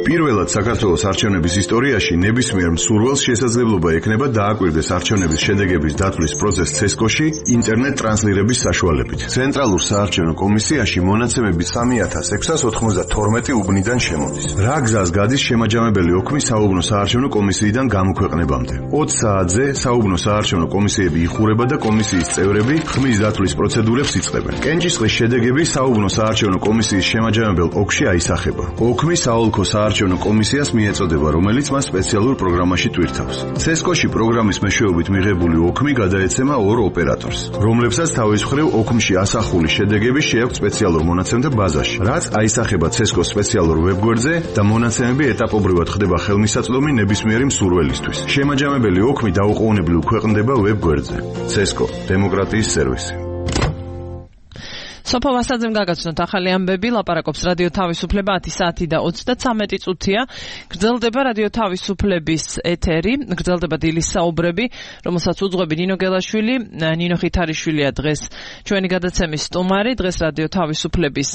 პირველად საქართველოს არჩევნების ისტორიაში ნებისმიერ მსურველს შესაძლებლობა ექნება დააკვირდეს არჩევნების შედეგების დათვლის პროცესს CESCO-ში ინტერნეტ ტრანსლირების საშუალებით. ცენტრალურ საარჩევნო კომისიაში მონაცემები 3692 უბნიდან შემოდის. რა გზას გადის შემაჯამებელი ოქმი საუბნო საარჩევნო კომისიიდან გამოქვეყნებამდე? 20 საათზე საუბნო საარჩევნო კომისიები იხურება და კომისიის წევრები ხმის დათვლის პროცედურებს იწყებენ. კენჭისყრის შედეგები საუბნო საარჩევნო კომისიის შემაჯამებელ ოლქში აისახება. ოქმი საოლქო საარჩევნო კომისიას მიეწოდება, რომელიც მას სპეციალურ პროგრამაში ტვირთავს. CESCO-ში პროგრამის მეშვეობით მიღებული ოქმი გადაეცემა ორ ოპერატორს, რომლებსაც თავის მხრივ ოქმში ასახული შედეგები შეაქვთ სპეციალურ მონაცემთა ბაზაში, რაც აისახება CESCO-s სპეციალურ ვებგვერდზე და მონაცემები ეტაპობრივად ხდება ხელმისაწვდომი ნებისმიერი მსურველისთვის. შემაჯამებელი ოქმი დაუყოვნებლივ ქვეყნდება ვებგვერდზე. CESCO დემოკრატიის სერვისი. სოფო ვასაძემ გაგაცნოთ ახალი ამბები, ლაპარაკობს რადიო თავისუფლება 10 საათი და 33 წუთია. გრძელდება რადიო თავისუფლების ეთერი, გრძელდება დილის საუბრები, რომელსაც უძღვები ნინო გელაშვილი, ნინო ხითარიშვილია დღეს ჩვენი გადაცემის სტუმარი. დღეს რადიო თავისუფლების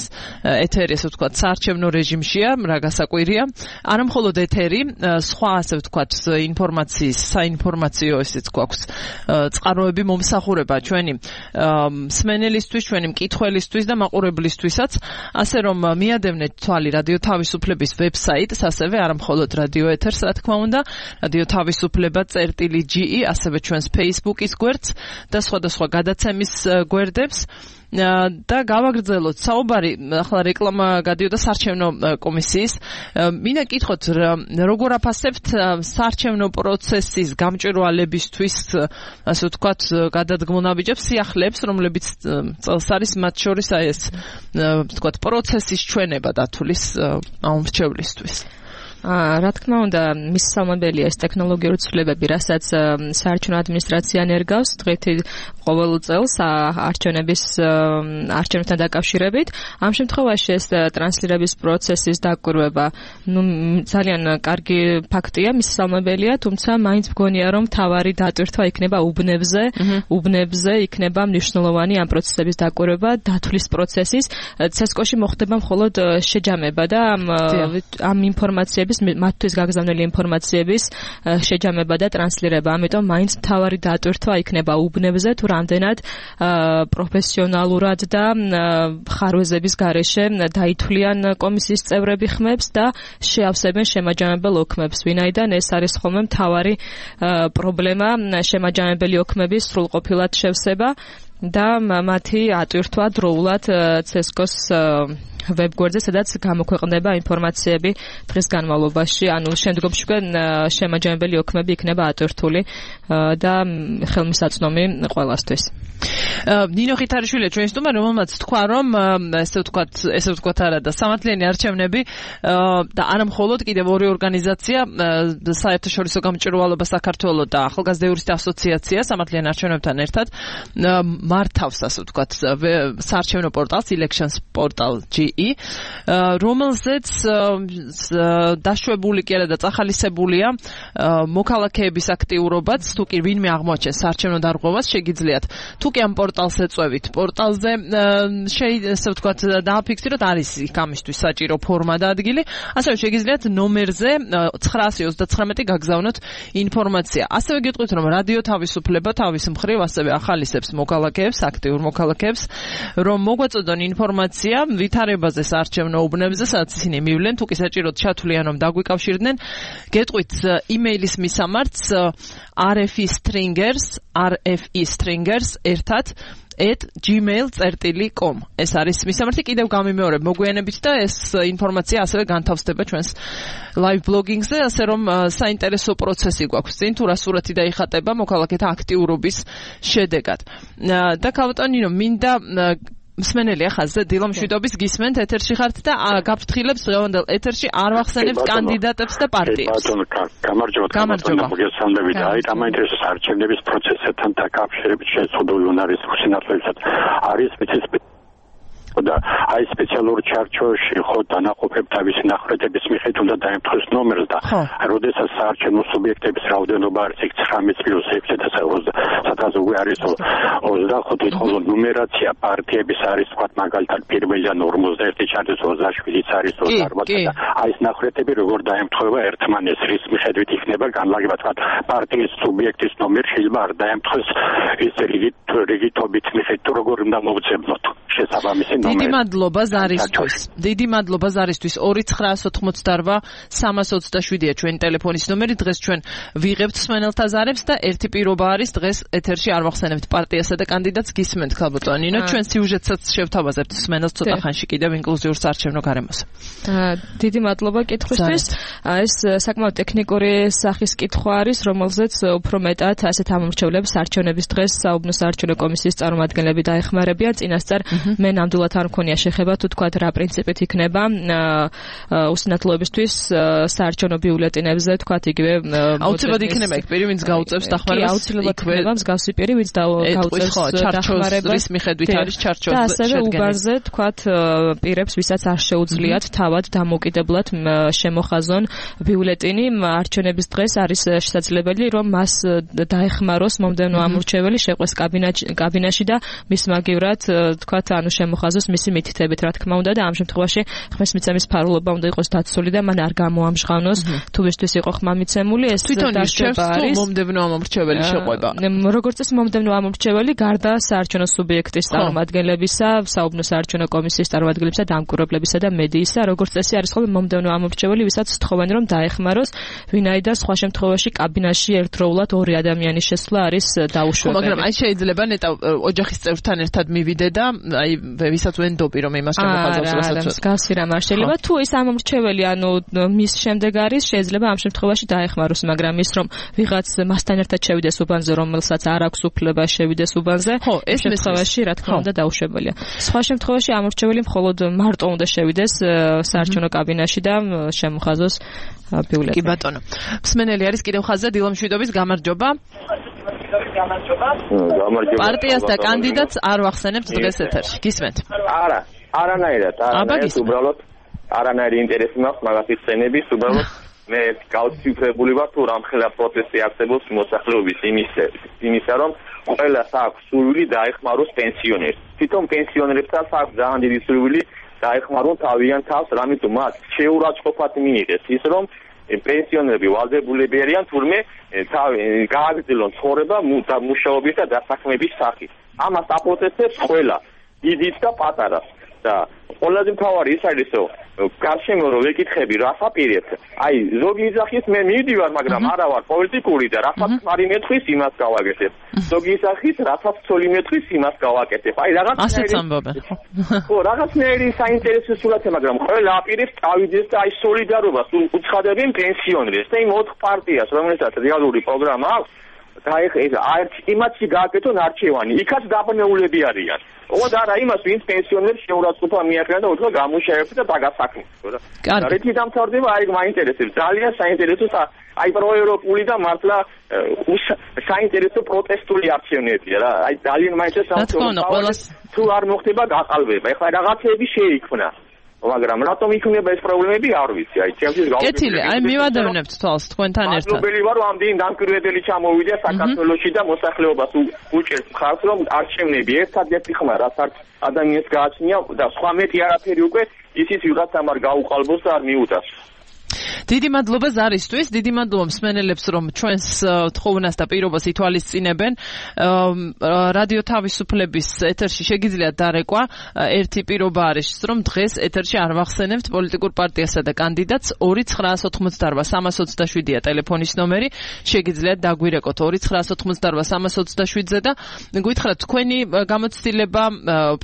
ეთერი, ასე ვთქვათ, საარჩევნო რეჟიმშია, რა გასაკვირია. არა მხოლოდ ეთერი, სხვა ასე ვთქვათ, ინფორმაციის, საინფორმაციო ესეც გვაქვს წყაროები მომსახურება ჩვენი მსმენელისთვის, ჩვენი მკითხველისთვის და მაყურებლისთვისაც, ასე რომ მიადევნეთ თვალი რადიო თავისუფლების ვებსაიტს, ასევე არა მხოლოდ რადიო ეთერს, რა თქმა უნდა, რადიო თავისუფლება.ge, ასევე ჩვენს Facebook-ის გვერდს და სხვადასხვა გადაცემის გვერდებს. და გავაგრძელოთ საუბარი, ახლა რეკლამა გადიოდა საარჩევნო კომისიის. მინდა გითხოთ, როგორ აფასებთ საარჩევნო პროცესის გამჭვირვალებისთვის, ასე ვთქვათ, გადადგმულ ნაბიჯებს, სიახლეებს, რომლებიც წელს არის, მათ შორის აი ეს, ვთქვათ, პროცესის ჩვენება დათulis მრჩევლისთვის. რა თქმა უნდა, მისასალმებელია ეს ტექნოლოგიური ცვლილებები, რასაც საარჩევნო ადმინისტრაცია ნერგავს დღითი ყოველ წელს არჩევნებთან დაკავშირებით. ამ შემთხვევაში ეს ტრანსლირების პროცესის დაკვირვება, ძალიან კარგი ფაქტია, მისასალმებელია, თუმცა მაინც მგონია, რომ თავარი დატვირთვა იქნება უბნებზე იქნება მნიშვნელოვანი ამ პროცესების დაკვირვება, დათulis პროცესის. CESCO-ში მოხდება მხოლოდ შეჯამება და ამ ინფორმაციების მათთვის გაგზავნილი ინფორმაციების შეჯამება და ტრანსლირება. ამიტომ მაინც მთავარი დატვირთვა იქნება უბნებზე, თუ რამდენად პროფესიონალურად და ხარვეზების გარეშე დაითვლიან კომისიის წევრები ხმებს და შეავსებენ შემაჯამებელ ოქმებს. ვინაიდან ეს არის ხოლმე მთავარი პრობლემა, შემაჯამებელი ოქმების სრულყოფილად შევსება და მათი ატვირთვა დროულად CESCO-ს ვებგვერდზე, სადაც გამოქვეყნდება ინფორმაციები დღის განმავლობაში, ანუ შემდგომში შემაჯამებელი ოქმები იქნება ატვირთული და ხელმისაწვდომი ყველასთვის. ნინო ხითარიშვილი ჩვენი სტუმარი, რომელმაც თქვა, რომ ესე ვთქვათ არა და სამართლიანი არჩევნები და არა მხოლოდ კიდევ ორი ორგანიზაცია, საერთაშორისო გამჭვირვალობა საქართველოს და ახალგაზრდა იურისტთა ასოციაცია სამართლიან არჩევნებთან ერთად მართავს, ასე ვთქვათ, საარჩევნო პორტალს elections portal.ge, რომელზეც დაშვებული კი არა და წახალისებულია მოქალაქეების აქტიურობაც, თუ კი ვინმე აღმოაჩენს საარჩევნო დარღვევას, შეგიძლიათ თუ კი ამ პორტალს ეწევით, პორტალზე ესე ვთქვათ, დააფიქსიროთ, არის იქ ამისთვის საჭირო ფორმა და ადგილი, ასევე შეგიძლიათ ნომერზე 929 გაგზავნოთ ინფორმაცია. ასევე გეტყვით, რომ რადიო თავისუფლება თავის მხრივ ასევე ახალისებს მოქალაქეებს, აქტიურ მოქალაქეებს, რომ მოგვაწოდონ ინფორმაცია ვითარებაზე საარჩევნო უბნებზე, სადაც ისინი მივლენ, თუ კი საჭიროდ ჩათვლიან, რომ დაგვიკავშირდნენ. გეტყვით იმეილის მისამართს rfe-stringers@gmail.com. ეს არის მისამართი, კიდევ გამიმეორებ მოგვიანებით და ეს ინფორმაცია ასევე განთავსდება ჩვენს live blogging-ზე, ასე რომ საინტერესო პროცესი გვაქვს წინ, თუ რა სურათი დაიხატება მოქალაქეთა აქტიურობის შედეგად. და ქალბატონინო, მინდა მსმენელი ახალზე დილო მშვიდობის გისმენთ, ეთერში ხართ და გაფრთხილებს დღევანდელ ეთერში არ ვახსენებთ კანდიდატებს და პარტიებს. გამარჯობა. მოგესალმებით. აი, ამაინტერესებს არჩევნების პროცესთან დაკავშირებით შეზღუდული უნარისმხ სინათლებისაც არის და აი სპეციალურ ჩარჩოში ხო დანაყოფებ თავისი ნახრეთების მიხედვით უნდა დაემთხოს ნომერს და როდესაც საარჩევნო სუბიექტების რაოდენობა არის 19+6 და სადაც უკვე არის 25 ხოლო ნუმერაცია პარტიების არის თქვა მაგალითად პირველიდან 51 ჩარჩოს 27-იც არის 28 და აი ეს ნახრეთები როგორ დაემთხვევა ერთმანეს, რის მიხედვით იქნება განლაგება თქვა პარტიის სუბიექტის ნომერი შეიძლება არ დაემთხოს ის რიგითობით მიხედვით როგორ უნდა მოვწებნოთ შესაბამისი დიდი მადლობა ზარისთვის. 2988-327-ია ჩვენი ტელეფონის ნომერი. დღეს ჩვენ ვიღებთ მსმენელთა ზარებს და ერთი პირობა არის დღეს ეთერში არ ვახსენებთ პარტიასა და კანდიდატს გისმენთ ქალბატონინო. ჩვენ სიუჟეტსაც შევთავაზებთ მსმენელს ცოტა ხანში კიდევ ინკლუზიურ საარჩევნო გარემოს. დიდი მადლობა კითხვისთვის. ეს საკმაოდ ტექნიკური სახის კითხვა არის, რომელზეც უფრო მეტად ასეთ ამომრჩევლებს არჩევნების დღეს საუბნო საარჩევნო კომისიის წარმომადგენლები დაეხმარებიან. წინასწარ მე ნამდვილად არ მქონია შეხება თუ თქვა რა პრინციპით იქნება უსინათლოებისთვის საარჩევნო ბიულეტენებზე თქვა იგივე აუცილებლად იქნება იქ პირი ვინც გაუწევს დახმარებას. აუცილებლად იქნება მსგავსი პირი ვინც გაუწევს დახმარებას მიხედვით არის ჩარჩოს და ასევე უბანზე თქვა პირებს ვისაც არ შეუძლიათ თავად დამოუკიდებლად შემოხაზონ ბიულეტენი არჩევნების დღეს არის შესაძლებელი რომ მას დაეხმაროს მომდევნო ამორჩეველი შეყვეს კაბინაში და მის მაგივრად თქვა ანუ შემოხაზოს იყოს მისი მითითებით, რა თქმა უნდა და ამ შემთხვევაში ხმის მიცემის ფარულობა უნდა იყოს დაცული და მან არ გამოამჟღავნოს თუ ვისთვის იყო ხმა მიცემული ეს დაშება არის მომდევნო ამორჩეველი შეყვება. როგორც წესი მომდევნო ამორჩეველი გარდა საარჩევნო სუბიექტის წარმომადგენლებისა, საუბნო საარჩევნო კომისიის წარმომადგენლებისა, დამკვირვებლებისა და მედიისა, როგორც წესი არის ხოლმე მომდევნო ამორჩეველი, ვისაც თხოვენ რომ დაეხმაროს, ვინაიდან სხვა შემთხვევაში კაბინაში ერთდროულად ორი ადამიანის შესვლა არის დაუშვებელი. მაგრამ აი შეიძლება ნეტა ოჯახის წევრთან ერთად მივიდე და აი ვისაც ვენდობი რომ იმას შემოხაზავს რასაც მსგავსი რამ არ შეიძლება. თუ ის ამორჩეველი ანუ მის შემდეგ არის, შეიძლება ამ შემთხვევაში დაეხმაროს, მაგრამ ის რომ ვიღაც მასთან ერთად შევიდეს უბანზე, რომელსაც არ აქვს უფლება შევიდეს უბანზე, ეს შემთხვევაში რა თქმა უნდა დაუშვებელია. სხვა შემთხვევაში ამორჩეველი მხოლოდ მარტო უნდა შევიდეს საარჩევნო კაბინაში და შემოხაზოს ბიულეტენი. კი ბატონო. მსმენელი არის კიდევ ხაზზე დილომშვიდობის გამარჯობა. პარტიას და კანდიდატს არ ვახსენებთ დღეს ეთერში. გისმენთ? არა, არანაირად, უბრალოდ არანაირი ინტერესი მაქვს მაგათი სცენების, უბრალოდ მე გავციფრებული ვარ თუ რამხელა პროცესი არსებობს მოსახლეობის იმისა რომ ყველას აქვს სურვილი დაეხმაროს პენსიონერს. თვითონ პენსიონერებსაც აქვს ძალიან დიდი სურვილი დაეხმარონ თავიანთ თავს, რამიტომ მათ შეურაცხყოფად მიიღეს ის რომ პენსიონერები ვალდებულები არიან თურმე გააგრძელონ ცხოვრება და მუშაობის და დასაქმების სახით. ამას აპროცესებს ყველა, დიდიც და პატარას. და ყველაზე მთავარი ის არის რომ გარშემო რო ვეკითხები რას აპირებთ აი ზოგი იძახის მე მივდივარ მაგრამ არა ვარ პოლიტიკური და რასაც მარი მეტყვის იმას გავაკეთებ ზოგი იძახის რასაც ცოლი მეტყვის იმას გავაკეთებ აი რაღაცნაირი საინტერესო სურათია მაგრამ ყველა აპირებს წავიდეს და აი სოლიდარობას უცხადებენ პენსიონერებს და იმ 4 პარტიას რომელსაც რეალური პროგრამა აქვს და ეს იმათში გააკეთონ არჩევანი იქაც დაბნეულები არიან ოღონდ არა იმას ვინც პენსიონერებს შეურაცხყოფა მიაყენა და უთქვა გამუშავებს და დაგასაქმეს და რითი დამთავრდება აი მაინტერესებს ძალიან საინტერესო აი პროევროპული და მართლა საინტერესო პროტესტული არჩევნებია რა აი ძალიან მაინტერესებს თუ არ მოხდება გაყალბება ეხლა რაღაცეები შეიქმნა მაგრამ რატომ იქნება ეს პრობლემები არ ვიცი აი ჩემთვის კეთილი აი მივადევნებთ თვალს თქვენთან ერთად მადლობელი ვარ რომ ამდენი დამკვირვებელი ჩამოვიდა საქართველოში და მოსახლეობას უჭერს მხარს რომ არჩევნები ერთადერთი ხმა რაც არ ადამიანს გააჩნია და სხვა მეტი არაფერი უკვე ისიც ვიღაცამ არ გაუყალბოს და არ მიუტას დიდი მადლობა ზარისთვის, დიდი მადლობა მსმენელებს, რომ ჩვენს თხოვნას და პირობას ითვალისწინებენ. რადიო თავისუფლების ეთერში შეგიძლიათ დარეკვა. ერთი პირობა არის, რომ დღეს ეთერში არ ვახსენებთ პოლიტიკურ პარტიასა და კანდიდატს 2988-327-ია ტელეფონის ნომერი. შეგიძლიათ დაგვირეკოთ 2988-327-ზე და გითხრათ თქვენი გამოცდილება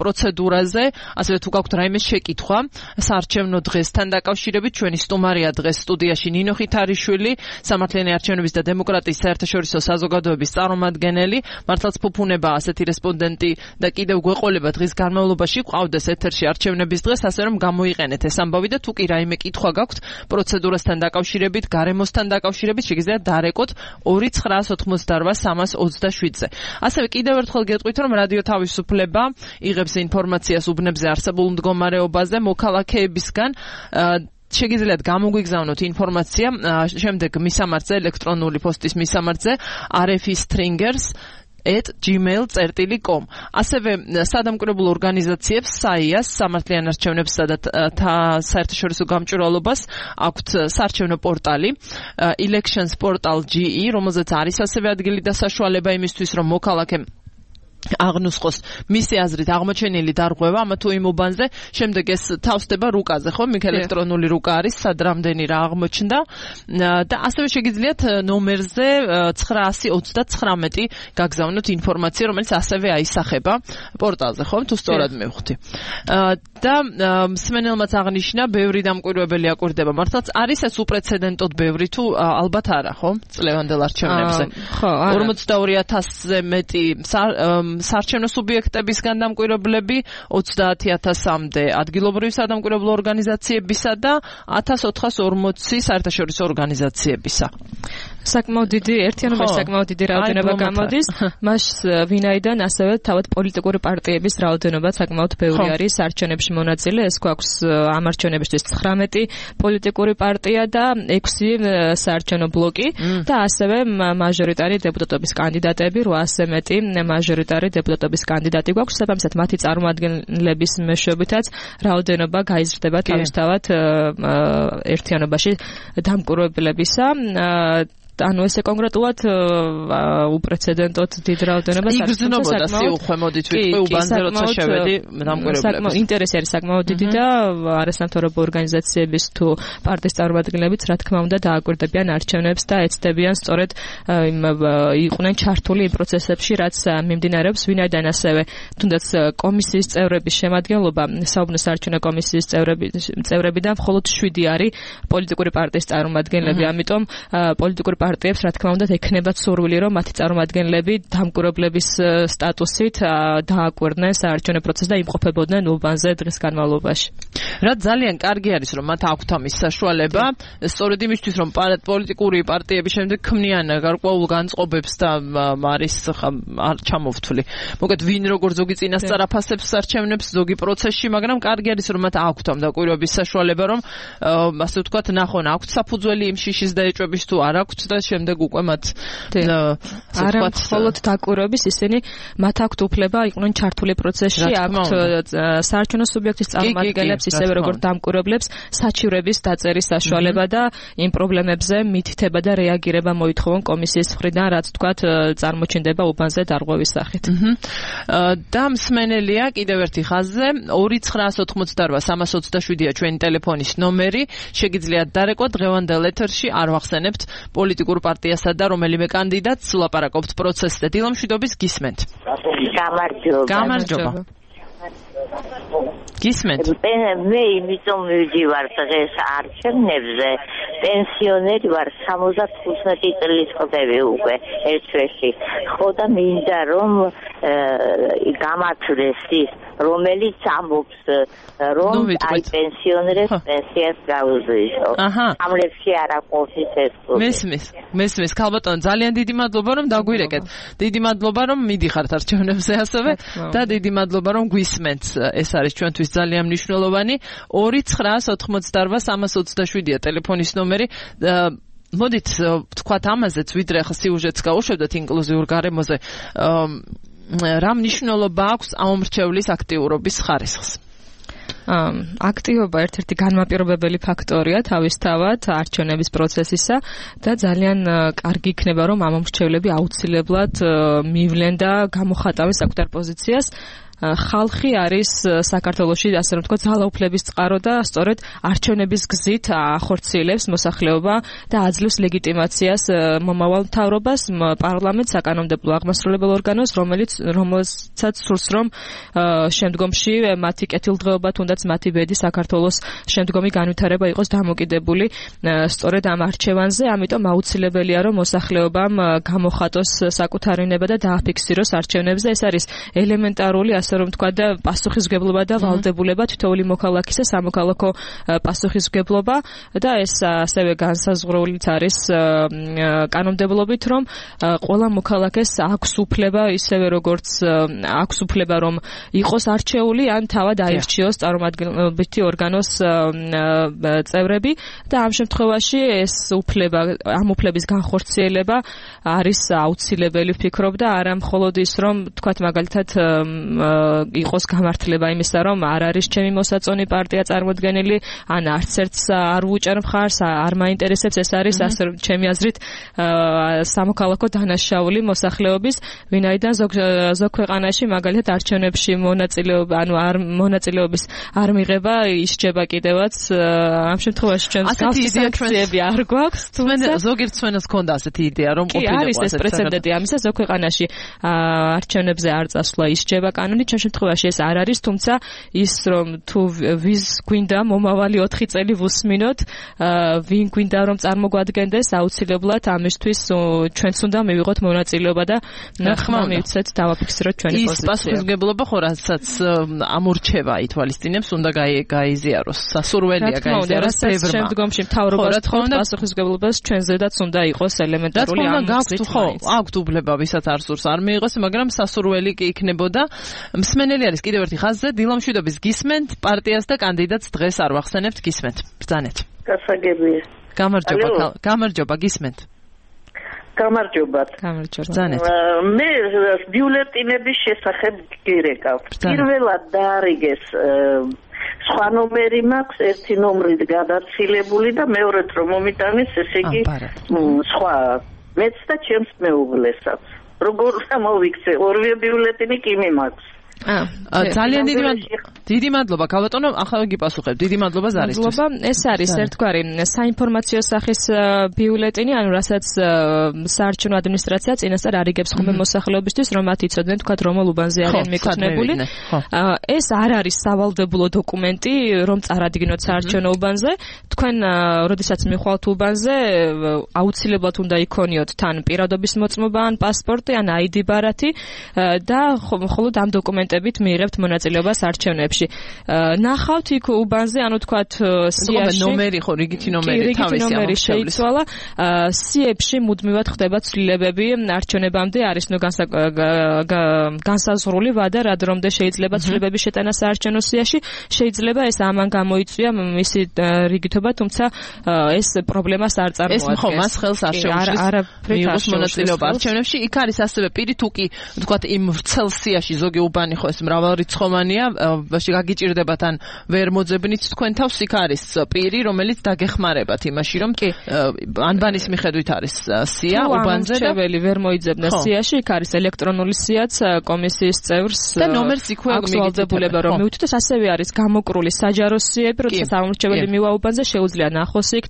პროცედურაზე, ასევე თუ გაქვთ რაიმე შეკითხვა საარჩევნო დღესთან დაკავშირებით, ჩვენი სტუმარია დღეს სტუდიაში ნინო ხითარიშვილი, სამართლიანი არჩევნების და დემოკრატიის საერთაშორისო საზოგადოების წარმომადგენელი, მართლაც ფუფუნება ასეთი რესპონდენტი და კიდევ გვეყოლება დღის განმავლობაში ყავდეს ეთერში არჩევნების დღეს, ასე რომ გამოიყენეთ ეს ამბავი და თუ კი რაიმე კითხვა გაქვთ პროცედურასთან დაკავშირებით, გარემოსთან დაკავშირებით, შეგიძლიათ დარეკოთ 2988-327-ზე. ასევე კიდევ ერთხელ გეტყვით, რომ რადიო თავისუფლება იღებს ინფორმაციას უბნებზე არსებულ მდგომარეობაზე მოქალაქეებისგან შეგიძლიათ გამოგვიგზავნოთ ინფორმაცია შემდეგ მისამართზე ელექტრონული პოსტის მისამართზე rfstringers@gmail.com. ასევე სადამკვირვებლო ორგანიზაციებს SAIA-ს, სამართლიან არჩევნებსა და საერთაშორისო გამჭვირვალობას აქვთ საარჩევნო პორტალი elections portal.ge, რომელზეც არის ასევე ადგილი და საშუალება იმისთვის, რომ მოქალაქემ აღნუსხოს მისი აზრით აღმოჩენილი დარღვევა ამა თუ იმ უბანზე, შემდეგ ეს თავსდება რუკაზე, ხო? მიქ ელექტრონული რუკა არის, სად რამდენი რა აღმოჩნდა და ასევე შეგიძლიათ ნომერზე 929 გაგზავნოთ ინფორმაცია, რომელიც ასევე აისახება პორტალზე, ხო? თუ სწორად მივხვდი. და მსმენელმაც აღნიშნა, ბევრი დამკვირვებელი აკვირდება. მართლაც არის ეს უპრეცედენტოდ ბევრი თუ ალბათ არა, ხო? წლევანდელ არჩევნებზე. ხო, 42000-ზე მეტი საარჩევნო სუბიექტებისგან დამკვირვებლები, 30000-მდე ადგილობრივი სადამკვირვებლო ორგანიზაციებისა და 1440 საერთაშორისო ორგანიზაციებისა. საკმაოდ დიდი ერთიანობაში საკმაოდ დიდი რაოდენობა გამოდის. მას ვინაიდან ასევე თავად პოლიტიკური პარტიების რაოდენობა საკმაოდ ბევრი არის არჩევნებში მონაწილე. ეს გვაქვს ამ არჩევნებისთვის 19 პოლიტიკური პარტია და 6 საარჩევნო ბლოკი და ასევე მაჟორიტარი დეპუტატობის კანდიდატები 800 მეტი მაჟორიტარი დეპუტატობის კანდიდატი გვაქვს. საბამისად მათი წარმომადგენლების მეშვეობითაც რაოდენობა გაიზრდება თავისთავად ერთიანობაში დამკვირვებლებისა. ანუ ესე კონკრეტულად უპრეცედენტოდ დიდ რაოდენობას იგრძნობოდა სიუხვე მოდით ვიტყვი უბანზე როცა შევედი დამკვირვებლებს. ინტერესი არის საკმაოდ დიდი და არასამთავრობო ორგანიზაციების თუ პარტიის წარმომადგენლებიც რა თქმა უნდა დააკვირდებიან არჩევნებს და ეცდებიან სწორედ იყვნენ ჩართული იმ პროცესებში რაც მიმდინარეობს ვინაიდან ასევე თუნდაც კომისიის წევრების შემადგენლობა საუბნო საარჩევნო კომისიის წევრებიდან მხოლოდ 7 არის პოლიტიკური პარტიის წარმომადგენლები ამიტომ პოლიტიკური პარტიებს რა თქმა უნდა ექნებათ სურვილი რომ მათი წარმომადგენლები დამკვირვებლების სტატუსით დააკვირდნენ საარჩევნო პროცესს და იმყოფებოდნენ უბანზე დღის განმავლობაში. რა ძალიან კარგი არის რომ მათ აქვთ ამის საშუალება სწორედ იმისთვის რომ პოლიტიკური პარტიები შემდეგ ქმნიან გარკვეულ განწყობებს და არის არ ჩამოვთვლი. მოგეთ ვინ როგორ ზოგი წინასწარ აფასებს არჩევნებს ზოგი პროცესში, მაგრამ კარგი არის რომ მათ აქვთ ამ დაკვირვების საშუალება რომ ასე ვთქვათ ნახონ აქვთ საფუძველი იმ შიშის დაეჭვების თუ არ აქვთ და შემდეგ უკვე მათ არა მხოლოდ დაკვირვების ისინი მათ აქვთ უფლება იყვნენ ჩართული პროცესში აქვთ საარჩევნო სუბიექტის წარმომადგენლებს ისევე როგორც დამკვირვებლებს საჩივრების დაწერის საშუალება და იმ პრობლემებზე მითითება და რეაგირება მოითხოვონ კომისიის მხრიდან რაც თქვათ წარმოჩინდება უბანზე დარღვევის სახით. და მსმენელია კიდევ ერთი ხაზზე 2988-327-ია ჩვენი ტელეფონის ნომერი შეგიძლიათ დარეკოთ დღევანდელ ეთერში არ ვახსენებთ პოლიტიკურ პარტიასა და რომელიმე კანდიდატს ვლაპარაკობთ პროცესზე. დილამშვიდობის გისმენთ. გამარჯობა. გისმენთ. მე იმიტომ მივდივარ დღეს არჩევნებზე, პენსიონერი ვარ 75 წლის ხდები უკვე ერთ თვეში. ხო და მინდა რომ გამართლდეს ის რომელიც ამბობს რომ აი პენსიონერებს პენსიას გაუზრდისო. ამლებში არ აკეთებს ეს. მესმის ქალბატონო ძალიან დიდი მადლობა რომ დაგვირეკეთ. დიდი მადლობა რომ მიდიხართ არჩევნებზე ასევე და დიდი მადლობა რომ გვისმენთ. ეს არის ჩვენთვის ძალიან მნიშვნელოვანი 2988-327-ია ტელეფონის ნომერი. მოდით ვთქვათ ამაზეც ვიდრე ახლა სიუჟეტს გავუშვებდეთ ინკლუზიურ გარემოზე რა მნიშვნელობა აქვს ამ მრჩევლის აქტიურობის ხარისხს? აქტივობა ერთ-ერთი განმაპირობებელი ფაქტორია თავისთავად არჩევნების პროცესისა და ძალიან კარგი იქნება რომ ამ მრჩევლები აუცილებლად მივლენ და გამოხატავენ საკუთარ პოზიციას. ხალხი არის საქართველოში ასე რომ ვთქვათ ძალაუფლების წყარო და სწორედ არჩევნების გზით ახორციელებს მოსახლეობა და აძლევს ლეგიტიმაციას მომავალ მთავრობას, პარლამენტს, საკანონმდებლო აღმასრულებელ ორგანოს, რომელსაც სურს რომ შემდგომში მათი კეთილდღეობა თუნდაც მათი ბედი საქართველოს შემდგომი განვითარება იყოს დამოკიდებული სწორედ ამ არჩევანზე, ამიტომ აუცილებელია რომ მოსახლეობამ გამოხატოს საკუთარი ნება და დააფიქსიროს არჩევნებზე. ეს არის ელემენტარული რომ თქვა და პასუხისმგებლობა და ვალდებულება თითოეული მოქალაქისა სამოქალაქო პასუხისმგებლობა და ეს ასევე განსაზღვრულიც არის კანონმდებლობით რომ ყველა მოქალაქეს აქვს უფლება ისევე როგორც აქვს უფლება რომ იყოს არჩეული ან თავად აირჩიოს წარმომადგენლობითი ორგანოს წევრები და ამ შემთხვევაში ეს უფლება ამ უფლების განხორციელება არის აუცილებელი ვფიქრობ და არა მხოლოდ ის რომ თქვა მაგალითად იყოს გამართლება იმისა, რომ არ არის ჩემი მოსაწონი პარტია წარმოდგენილი, ან არც ერთს არ ვუჭერ მხარს, არ მაინტერესებს, ეს არის ასე რომ ჩემი აზრით სამოქალაქო დანაშაული მოსახლეობის, ვინაიდან ზოგ ქვეყანაში მაგალითად არჩევნებში მონაწილეობა, ანუ არ მონაწილეობის არ მიღება ისჯება კიდევაც ამ შემთხვევაში ჩვენს განსაკუთრებები არ გვაქვს, თუმცა ზოგიერთ ჩვენს ქონდა ასეთი იდეა, რომ ყოფილიყო არის ეს პრეცედენტი ამისა ზოგ ქვეყანაში არჩევნებზე არ წასვლა ისჯება კანონით არჩევნ შემთხვევაში ეს არ არის, თუმცა ის რომ თუ ვის გვინდა მომავალი 4 წელი ვუსმინოთ, ვინ გვინდა რომ წარმოგვადგენდეს, აუცილებლად ამისთვის ჩვენც უნდა მივიღოთ მონაწილეობა და ხმა მივცეთ დავაფიქსიროთ ჩვენი პოზიცია. ის პასუხისმგებლობა ხო რასაც ამორჩევა ითვალისწინებს, უნდა გაიზიაროს. სასურველია გაიზიაროს ბევრმა. შემდგომში მთავრობას თხოვთ პასუხისმგებლობას ჩვენზედაც უნდა იყოს ელემენტარული ამბავი. ხო, აქვთ უბლება, ვისაც არ სურს არ მიიღოს, მაგრამ სასურველი კი იქნებოდა. მსმენელი არის კიდევ ერთი ხაზზე, დილამშვიდობის გისმენთ პარტიას და კანდიდატს დღეს არ ვახსენებთ, გისმენთ. ბრძანეთ. გასაგებია. გამარჯობა, გისმენთ. გამარჯობა. ბრძანეთ. მე ბიულეტინების შესახებ გირეკავ. პირველად დაარიგეს სხვა ნომერი მაქვს, ერთი ნომრით გადაცილებული და მეორედ რომ მომიტანეს, ესე იგი სხვა მეც და ჩემს მეუღლესაც. როგორ მოვიქცე, ორივე ბიულეტინი კი მე მაქვს. ძალიან დიდი მადლობა ქალბატონო, ახლა გიპასუხებ. დიდი მადლობა ზარისთვის. ეს არის ერთგვარი საინფორმაციო სახის ბიულეტინი, ანუ რასაც საარჩევნო ადმინისტრაცია წინასწარ არიგებს ხოლმე მოსახლეობისთვის, რომ მათ იცოდნენ თქვათ რომელ უბანზე არიან მიკუთვნებული. ეს არ არის სავალდებულო დოკუმენტი, რომ წარადგინოთ საარჩევნო უბანზე. თქვენ როდესაც მიხვალთ უბანზე, აუცილებლად უნდა იქონიოთ თან პირადობის მოწმობა, ან პასპორტი, ან ID ბარათი და მხოლოდ ამ დოკუმენტებით მიიღებთ მონაწილეობას არჩევნებში. ნახავთ იქ უბანზე, ანუ თქვათ სიაში ნომერი ხო, რიგითი ნომერი თავისი შეიცვალა. სიებში მუდმივად ხდება ცვლილებები არჩევნებამდე, არის ნუ განსაზღვრული ვადა, რა დრომდე შეიძლება ცვლილებების შეტანა საარჩევნო სიაში. შეიძლება ეს ამან გამოიწვია მისი რიგითობა, თუმცა ეს პრობლემას არ წარმოადგენს. ეს ხო მას ხელს არ შეუშვეს მიიღოს მონაწილეობა არჩევნებში. იქ არის ასევე პირი თუ კი თქვათ იმ ვრცელ სიაში ზოგი უბანი ხო ეს მრავალრიცხოვანია, გაგიჭირდება თან ვერ მოძებნით თქვენ თავს, იქ არის პირი, რომელიც დაგეხმარებათ იმაში, რომ ანბანის მიხედვით არის სია უბანზე და ვერ მოიძებნა სიაში, იქ არის ელექტრონული სიაც კომისიის წევრს და ნომერს იქვე მიგიწებულება რომ მივთვით, ასევე არის გამოკრული საჯარო სიები, როდესაც ამორჩეველი მივა უბანზე შეუძლია ნახოს იქ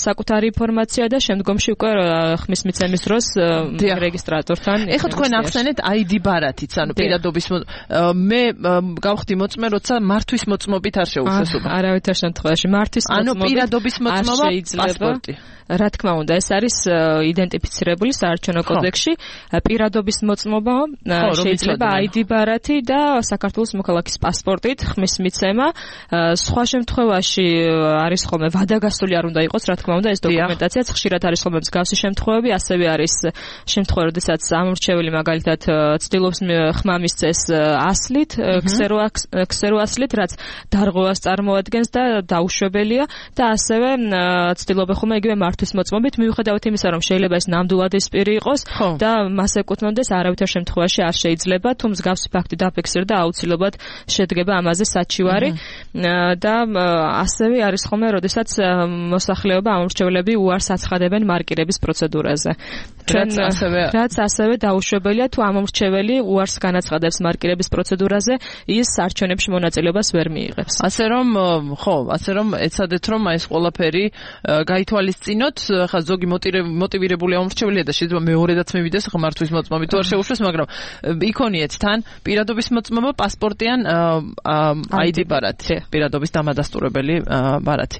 საკუთარი ინფორმაცია და შემდგომში უკვე ხმის მიცემის დროს რეგისტრატორთან. ეხლა თქვენ ახსენეთ ID ბარათიც, ანუ პირადობის მე გავხდი მოწმე, როცა მართვის მოწმობით არ შეუძლესობა. არავითარ შემთხვევაში მართვის ანუ პირადობის მოწმობა, პასპორტი. რა თქმა უნდა, ეს არის იდენტიფიცირებული საარჩევნო კოდექსში. პირადობის მოწმობა შეიძლება ID ბარათი და საქართველოს მოქალაქის პასპორტით ხმის მიცემა. სხვა შემთხვევაში არის ხოლმე ვადაგასული არ უნდა იყოს, რა თქმა უნდა, ეს დოკუმენტაციაც ხშირად არის ხოლმე მსგავსი შემთხვევები, ასევე არის შემთხვევა, როდესაც ამორჩეველი მაგალითად ცდილობს ხმა მისცეს ასლით, ქსეროასლით, რაც დარღვევას წარმოადგენს და დაუშვებელია და ასევე ცდილობენ ხოლმე იგივე მართვის მოწმობით, მიუხედავად იმისა, რომ შეიძლება ეს ნამდვილად ეს პირი იყოს და მას ეკუთვნოდეს, არავითარ შემთხვევაში არ შეიძლება, თუ მსგავსი ფაქტი დაფიქსირდა, აუცილებლად შედგება ამაზე საჩივარი და ასევე არის ხოლმე, როდესაც მოსახლეობა ამორჩევლები უარს აცხადებენ მარკირების პროცედურაზე. რაც ასევე დაუშვებელია, თუ ამორჩეველი უარს განაცხადებს მარკირების პროცედურაზე, ის არჩევნებში მონაწილეობას ვერ მიიღებს. ასე რომ ეცადეთ რომ ეს ყველაფერი გაითვალისწინოთ, ხა ზოგი მოტივირებული ამორჩეველია და შეიძლება მეორედაც მივიდეს ხა მართვის მოწმობით თუ არ შეუშვეს, მაგრამ იქონიეთ თან პირადობის მოწმობა, პასპორტი ან ID ბარათი, პირადობის დამადასტურებელი ბარათი.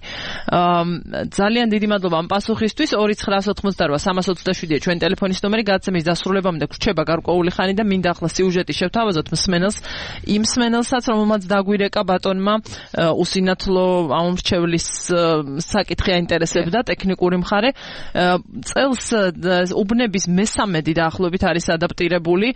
ძალიან დიდი მადლობა ამ პასუხისთვის. 2988327-ია ჩვენი ტელეფონის ნომერი, გადაცემის დასრულებამდე გრჩება გარკვეული ხანი და მინდა ახლა სიუჟეტი შევთავაზოთ იმ მსმენელსაც, რომელმაც დაგვირეკა ბატონმა უსინათლო ამორჩევლის საკითხი აინტერესებდა, ტექნიკური მხარე. წელს უბნების მესამედი დაახლოებით არის ადაპტირებული,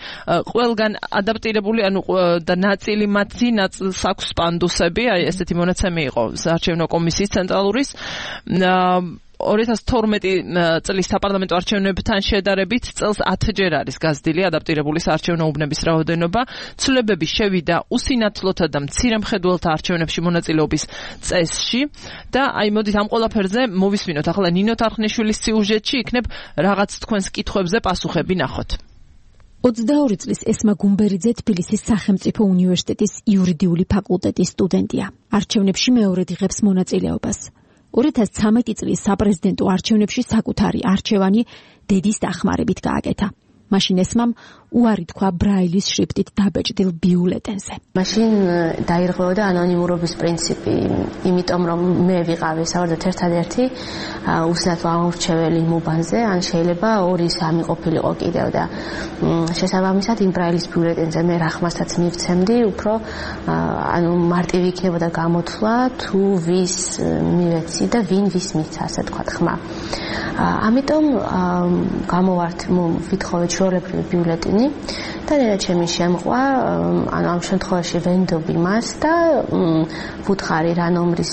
ყველგან ადაპტირებული, ანუ და ნაწილი მათი ნაწილს აქვს პანდუსები, აი ესეთი მონაცემი იყო საარჩევნო კომისიის ცენტრალურის. 2012 წლის საპარლამენტო არჩევნებთან შედარებით წელს 10-ჯერ არის გაზრდილი ადაპტირებული საარჩევნო უბნების რაოდენობა. ცვლილებები შევიდა უსინათლოთა და მცირემხედველთა არჩევნებში მონაწილეობის წესში და აი მოდით ამ ყველაფერზე მოვისმინოთ ახლა ნინო თარხნიშვილის სიუჟეტში, იქნებ რაღაც თქვენს კითხვებზე პასუხები ნახოთ. 22 წლის ესმა გუმბერიძე თბილისის სახელმწიფო უნივერსიტეტის იურიდიული ფაკულტეტის სტუდენტია. არჩევნებში მეორედ იღებს მონაწილეობას. 2013 წლის საპრეზიდენტო არჩევნებში საკუთარი არჩევანი დედის დახმარებით გააკეთა. მაშინ ესმამ უარი თქვა ბრაილის შრიფტით დაბეჭდილ ბიულეტენზე. მაშინ დაირღვეოდა ანონიმურობის პრინციპი, იმიტომ რომ მე ვიყავი საერთოდ ერთადერთი უსინათლო ამორჩეველი იმ უბანზე, ან შეიძლება 2-3 ყოფილიყო კიდევ და შესაბამისად იმ ბრაილის ბიულეტენზე მე რა ხმასაც მივცემდი, უფრო ანუ მარტივი იქნებოდა გამოთვლა თუ ვის მივეცი და ვინ ვის მიცა, ასე თქვა ხმა. ამიტომ გამოვართ ვითხოვეთ ჩვეულებრივი ბიულეტენი და ნენა ჩემი შემყვა, ანუ ამ შემთხვევაში ვენდობი მას და ვუთხარი რა ნომრის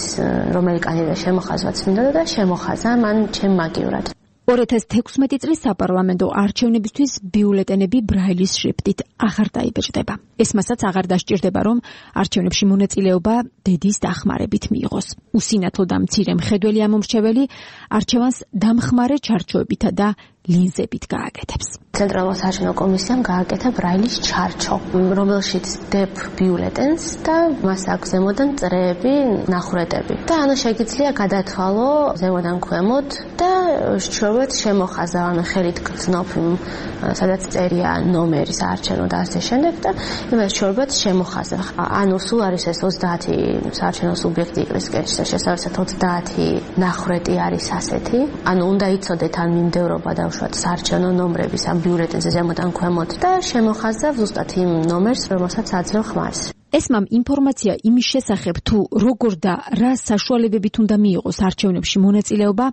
რომელი კანდიდატი შემოხაზვაც მინდოდა და შემოხაზა მან ჩემ მაგივრად. 2016 წლის საპარლამენტო არჩევნებისთვის ბიულეტენები ბრაილის შრიფტით აღარ დაიბეჭდება. ეს მასაც აღარ დასჭირდება, რომ არჩევნებში მონაწილეობა დედის დახმარებით მიიღოს. უსინათლო და მცირე მხედველი ამომრჩეველი არჩევანს დამხმარე ჩარჩოებითა და ლინზებით გააკეთებს. ცენტრალურ საარჩევნო კომისიამ გააკეთა ბრაილის ჩარჩო, რომელშიც დებ ბიულეტენს და მას აქვს ზემოდან წრეები, ნახვრეტები. და ანუ შეგიძლია გადათვალო ზემოდან ქვემოთ და შევეთ შემოხაზა, ანუ ხელით გრძნობ, სადაც წერია ნომერი საარჩევნო და ასე შემდეგ და იმას შევეთ შემოხაზა. ანუ სულ არის ეს 30 საარჩევნო სუბიექტი იყრის კეშზე, შესაბამისად 30 ნახვრეტი არის ასეთი. ანუ უნდა იცოდეთ ან მიმდევრობა და საარჩევნო ნომრების ამ ბიულეტენზე ზემოდან ქვემოთ და შემოხაზა ზუსტად იმ ნომერს, რომელსაც აძლევ ხმას. ესმამ ინფორმაცია იმის შესახებ, თუ როგორ და რა საშუალებებით უნდა მიიღოს არჩევნებში მონაწილეობა,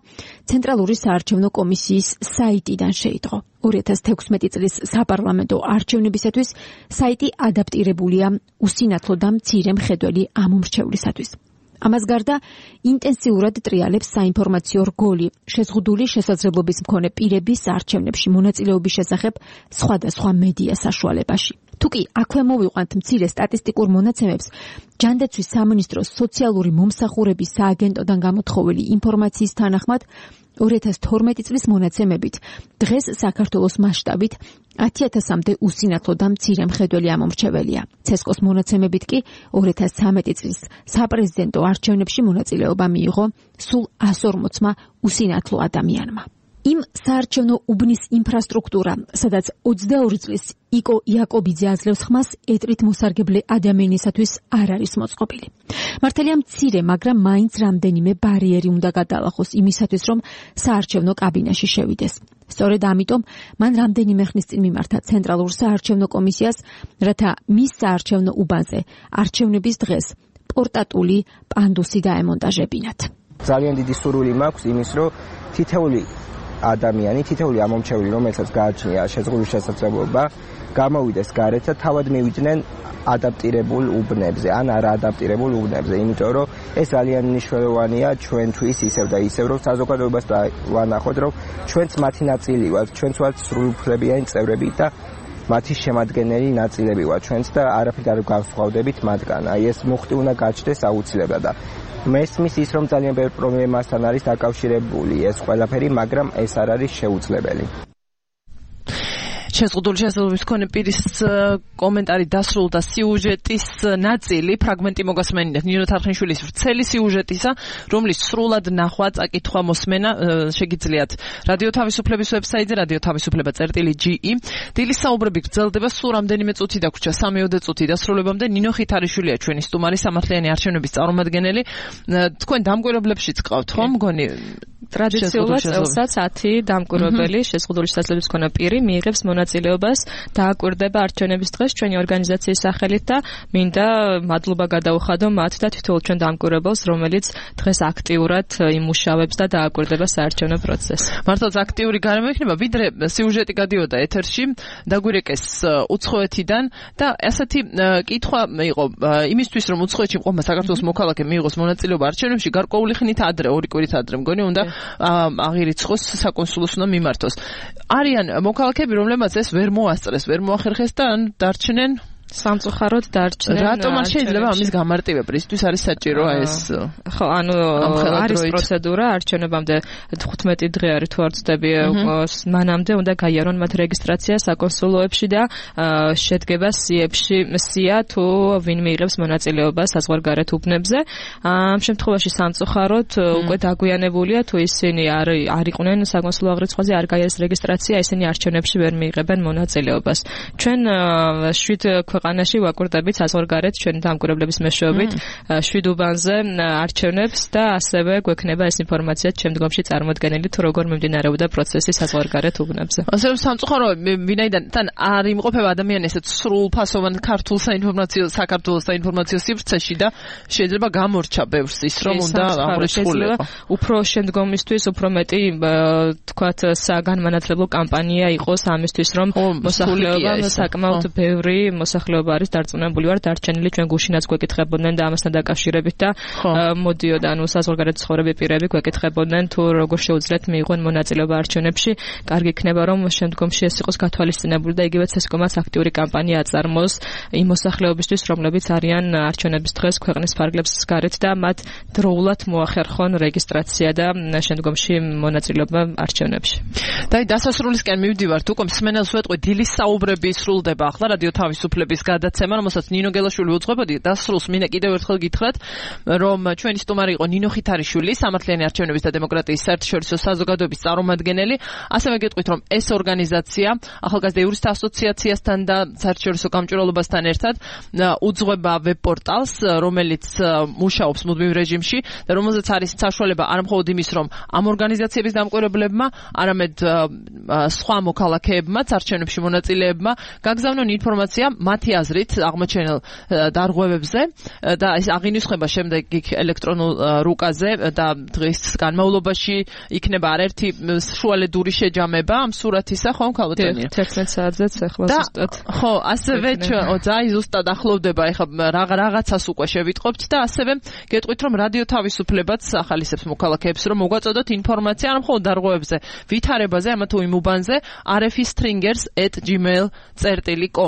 ცენტრალური საარჩევნო კომისიის საიტიდან შეიტყო. 2016 წლის საპარლამენტო არჩევნებისათვის საიტი ადაპტირებულია უსინათლო და მცირე მხედველი ამომრჩევლისათვის. ამას გარდა ინტენსიურად ტრიალებს საინფორმაციო რგოლი შეზღუდული შესაძლებლობის მქონე პირების არჩევნებში მონაწილეობის შესახებ სხვადასხვა მედია საშუალებაში. თუკი აქვე მოვიყვანთ მცირე სტატისტიკურ მონაცემებს, ჯანდაცვის სამინისტროს სოციალური მომსახურების სააგენტოდან გამოთხოვილი ინფორმაციის თანახმად 2012 წლის მონაცემებით დღეს საქართველოს მასშტაბით 10,000-მდე უსინათლო და მცირე მხედველი ამომრჩეველია. ცესკოს მონაცემებით კი 2013 წლის საპრეზიდენტო არჩევნებში მონაწილეობა მიიღო სულ 140-მა უსინათლო ადამიანმა. იმ საარჩევნო უბნის ინფრასტრუქტურა, სადაც 22 წლის იკო იაკობიძე აძლევს ხმას, ეტრით მოსარგებლე ადამიანისათვის არ არის მოწყობილი. მართალია მცირე, მაგრამ მაინც რამდენიმე ბარიერი უნდა გადალახოს იმისათვის, რომ საარჩევნო კაბინაში შევიდეს. სწორედ ამიტომ მან რამდენიმე ხნის წინ მიმართა ცენტრალურ საარჩევნო კომისიას, რათა მის საარჩევნო უბანზე არჩევნების დღეს პორტატული პანდუსი დაემონტაჟებინათ. ძალიან დიდი სურვილი მაქვს იმის, რომ თითოეული ადამიანი, თითოეული ამომრჩეველი, რომელსაც გააჩნია შეზღუდული შესაძლებლობა, გამოვიდეს გარეთ და თავად მივიდნენ ადაპტირებულ უბნებზე, ან არა ადაპტირებულ უბნებზე, იმიტომ რომ ეს ძალიან მნიშვნელოვანია ჩვენთვის ისევ და ისევ, რომ საზოგადოებას ვანახოთ, რომ ჩვენც მათი ნაწილი ვართ, ჩვენც ვართ სრულუფლებიანი წევრები და მათი შემადგენელი ნაწილები ვართ ჩვენც და არაფრით არ განსხვავდებით მათგან. აი ეს მუხტი უნდა გაჩნდეს აუცილებლად და მესმის ის, რომ ძალიან ბევრ პრობლემასთან არის დაკავშირებული ეს ყველაფერი, მაგრამ ეს არ არის შეუძლებელი. შეზღუდული შესაძლებლობის მქონე პირის კომენტარი დასრულდა სიუჟეტის ნაწილი, ფრაგმენტი მოგასმენინეთ ნინო თარხნიშვილის ვრცელი სიუჟეტისა, რომლის სრულად ნახვა, წაკითხვა, მოსმენა შეგიძლიათ რადიო თავისუფლების ვებსაიტზე radioთავისუფლება.ge. დილის საუბრები გრძელდება, სულ რამდენიმე წუთი დაგვრჩა, 3-4 წუთი დასრულებამდე. ნინო ხითარიშვილია ჩვენი სტუმარი, სამართლიანი არჩევნების წარმომადგენელი. თქვენ დამკვირვებლებშიც ყავთ, ხო, მგონი? ტრადიციულად წელსაც 10 დამკვირვებელი შეზღუდული შესაძლებლობის მქონე პირი მიიღებს მონაწილეობას დააკვირდება არჩევნების დღეს ჩვენი ორგანიზაციის სახელით და მინდა მადლობა გადაუხადო მათ და თითოეულ ჩვენ დამკვირვებელს, რომელიც დღეს აქტიურად იმუშავებს და დააკვირდება საარჩევნო პროცესს. მართლაც აქტიური გარემო იქნება, ვიდრე სიუჟეტი გადიოდა ეთერში, დაგვირეკეს უცხოეთიდან და ასეთი კითხვა იყო იმისთვის, რომ უცხოეთში მყოფმა საქართველოს მოქალაქე მიიღოს მონაწილეობა არჩევნებში, გარკვეული ხნით ადრე, 2 კვირით ადრე მგონი უნდა აღირიცხოს, საკონსულოს უნდა მიმართოს. არიან მოქალაქეები, რომლებმაც ეს ვერ მოასწრეს, ვერ მოახერხეს და ან დარჩნენ სამწუხაროდ დარჩნენ. რატომ არ შეიძლება ამის გამარტივება? ისთვის არის საჭირო ეს? ხო, ანუ არის პროცედურა არჩევნებამდე 15 დღე არის თუ არ ვცდები, მანამდე უნდა გაიარონ მათ რეგისტრაცია საკონსულოებში და შედგება სია თუ ვინ მიიღებს მონაწილეობას საზღვარგარეთ უბნებზე. ამ შემთხვევაში სამწუხაროდ უკვე დაგვიანებულია, თუ ისინი არ იყვნენ საკონსულო აღრიცხვაზე, არ გაიარეს რეგისტრაცია, ისინი არჩევნებში ვერ მიიღებენ მონაწილეობას. ჩვენ 7 ქვეყანაში ვაკვირდებით საზღვარგარეთ ჩვენი დამკვირვებლების მეშვეობით 7 უბანზე არჩევნებს და ასევე გვექნება ეს ინფორმაცია შემდგომში წარმოდგენილი თუ როგორ მიმდინარეობდა პროცესი საზღვარგარეთ უბნებზე. ასე რომ სამწუხარო ვინაიდან თან არ იმყოფება ადამიანი ესეთ სრულფასოვან ქართულ საქართველოს საინფორმაციო სივრცეში და შეიძლება გამორჩა ბევრს ის რომ უნდა აღრიცხულიყო. უფრო შემდგომისთვის უფრო მეტი თქვათ საგანმანათლებლო კამპანია იყოს ამისთვის რომ მოსახლეობა საკმაოდ ბევრი მოსახლეობა არის დარწმუნებული ვარ დარჩენილი ჩვენ გუშინაც გვეკითხებოდნენ და ამასთან დაკავშირებით და მოდიოდა ანუ საზღვარგარეთ ცხოვრები პირები გვეკითხებოდნენ თუ როგორ შეუძლიათ მიიღონ მონაწილეობა არჩევნებში. კარგი იქნება რომ შემდგომში ეს იყოს გათვალისწინებული და იგივე ცესკომაც აქტიური კამპანია აწარმოოს იმ მოსახლეობისთვის რომლებიც არიან არჩევნების დღეს ქვეყნის ფარგლებს გარეთ და მათ დროულად მოახერხონ რეგისტრაცია და შემდგომში მონაწილეობა არჩევნებში. და დასასრულისკენ მივდივართ უკვე მსმენელს ვეტყვი დილის საუბრები სრულდება ახლა რადიო თავისუფლების გადაცემა რომელსაც ნინო გელაშვილი უძღვებოდი დასრულს მინდა კიდევ ერთხელ გითხრათ რომ ჩვენი სტუმარი იყო ნინო ხითარიშვილი სამართლიანი არჩევნების და დემოკრატიის საერთაშორისო საზოგადოების წარმომადგენელი ასევე გეტყვით რომ ეს ორგანიზაცია ახალგაზრდა იურისტთა ასოციაციასთან და საერთაშორისო გამჭვირვალობასთან ერთად უძღვება ვებ-პორტალს რომელიც მუშაობს მუდმივ რეჟიმში და რომელზეც არის საშუალება არა მხოლოდ იმის რომ ამ ორგანიზაციების დამკვირვებლებმა არამედ სხვა მოქალაქეებმა არჩევნებში მონაწილეებმა გაგზავნონ ინფორმაცია მათი აზრით აღმოჩენილ დარღვევებზე და ეს აღინიშნება შემდეგ ელექტრონულ რუკაზე და დღის განმავლობაში იქნება არაერთი შუალედური შეჯამება ამ სურათისა ხომ ქალბატონია 11 საათზეც ახლა ზუსტად ხო ასევე ძაი ზუსტად ახლოვდება ეხლა რაღაცას უკვე შევიტყობთ და ასევე გეტყვით რომ რადიო თავისუფლებაც ახალისებს მოქალაქეებს რომ მოგვაწოდოთ ინფორმაცია არ მხოლოდ დარღვევებზე ვითარებაზე ამა თუ იმ უბანზე rfstringers@gmail.com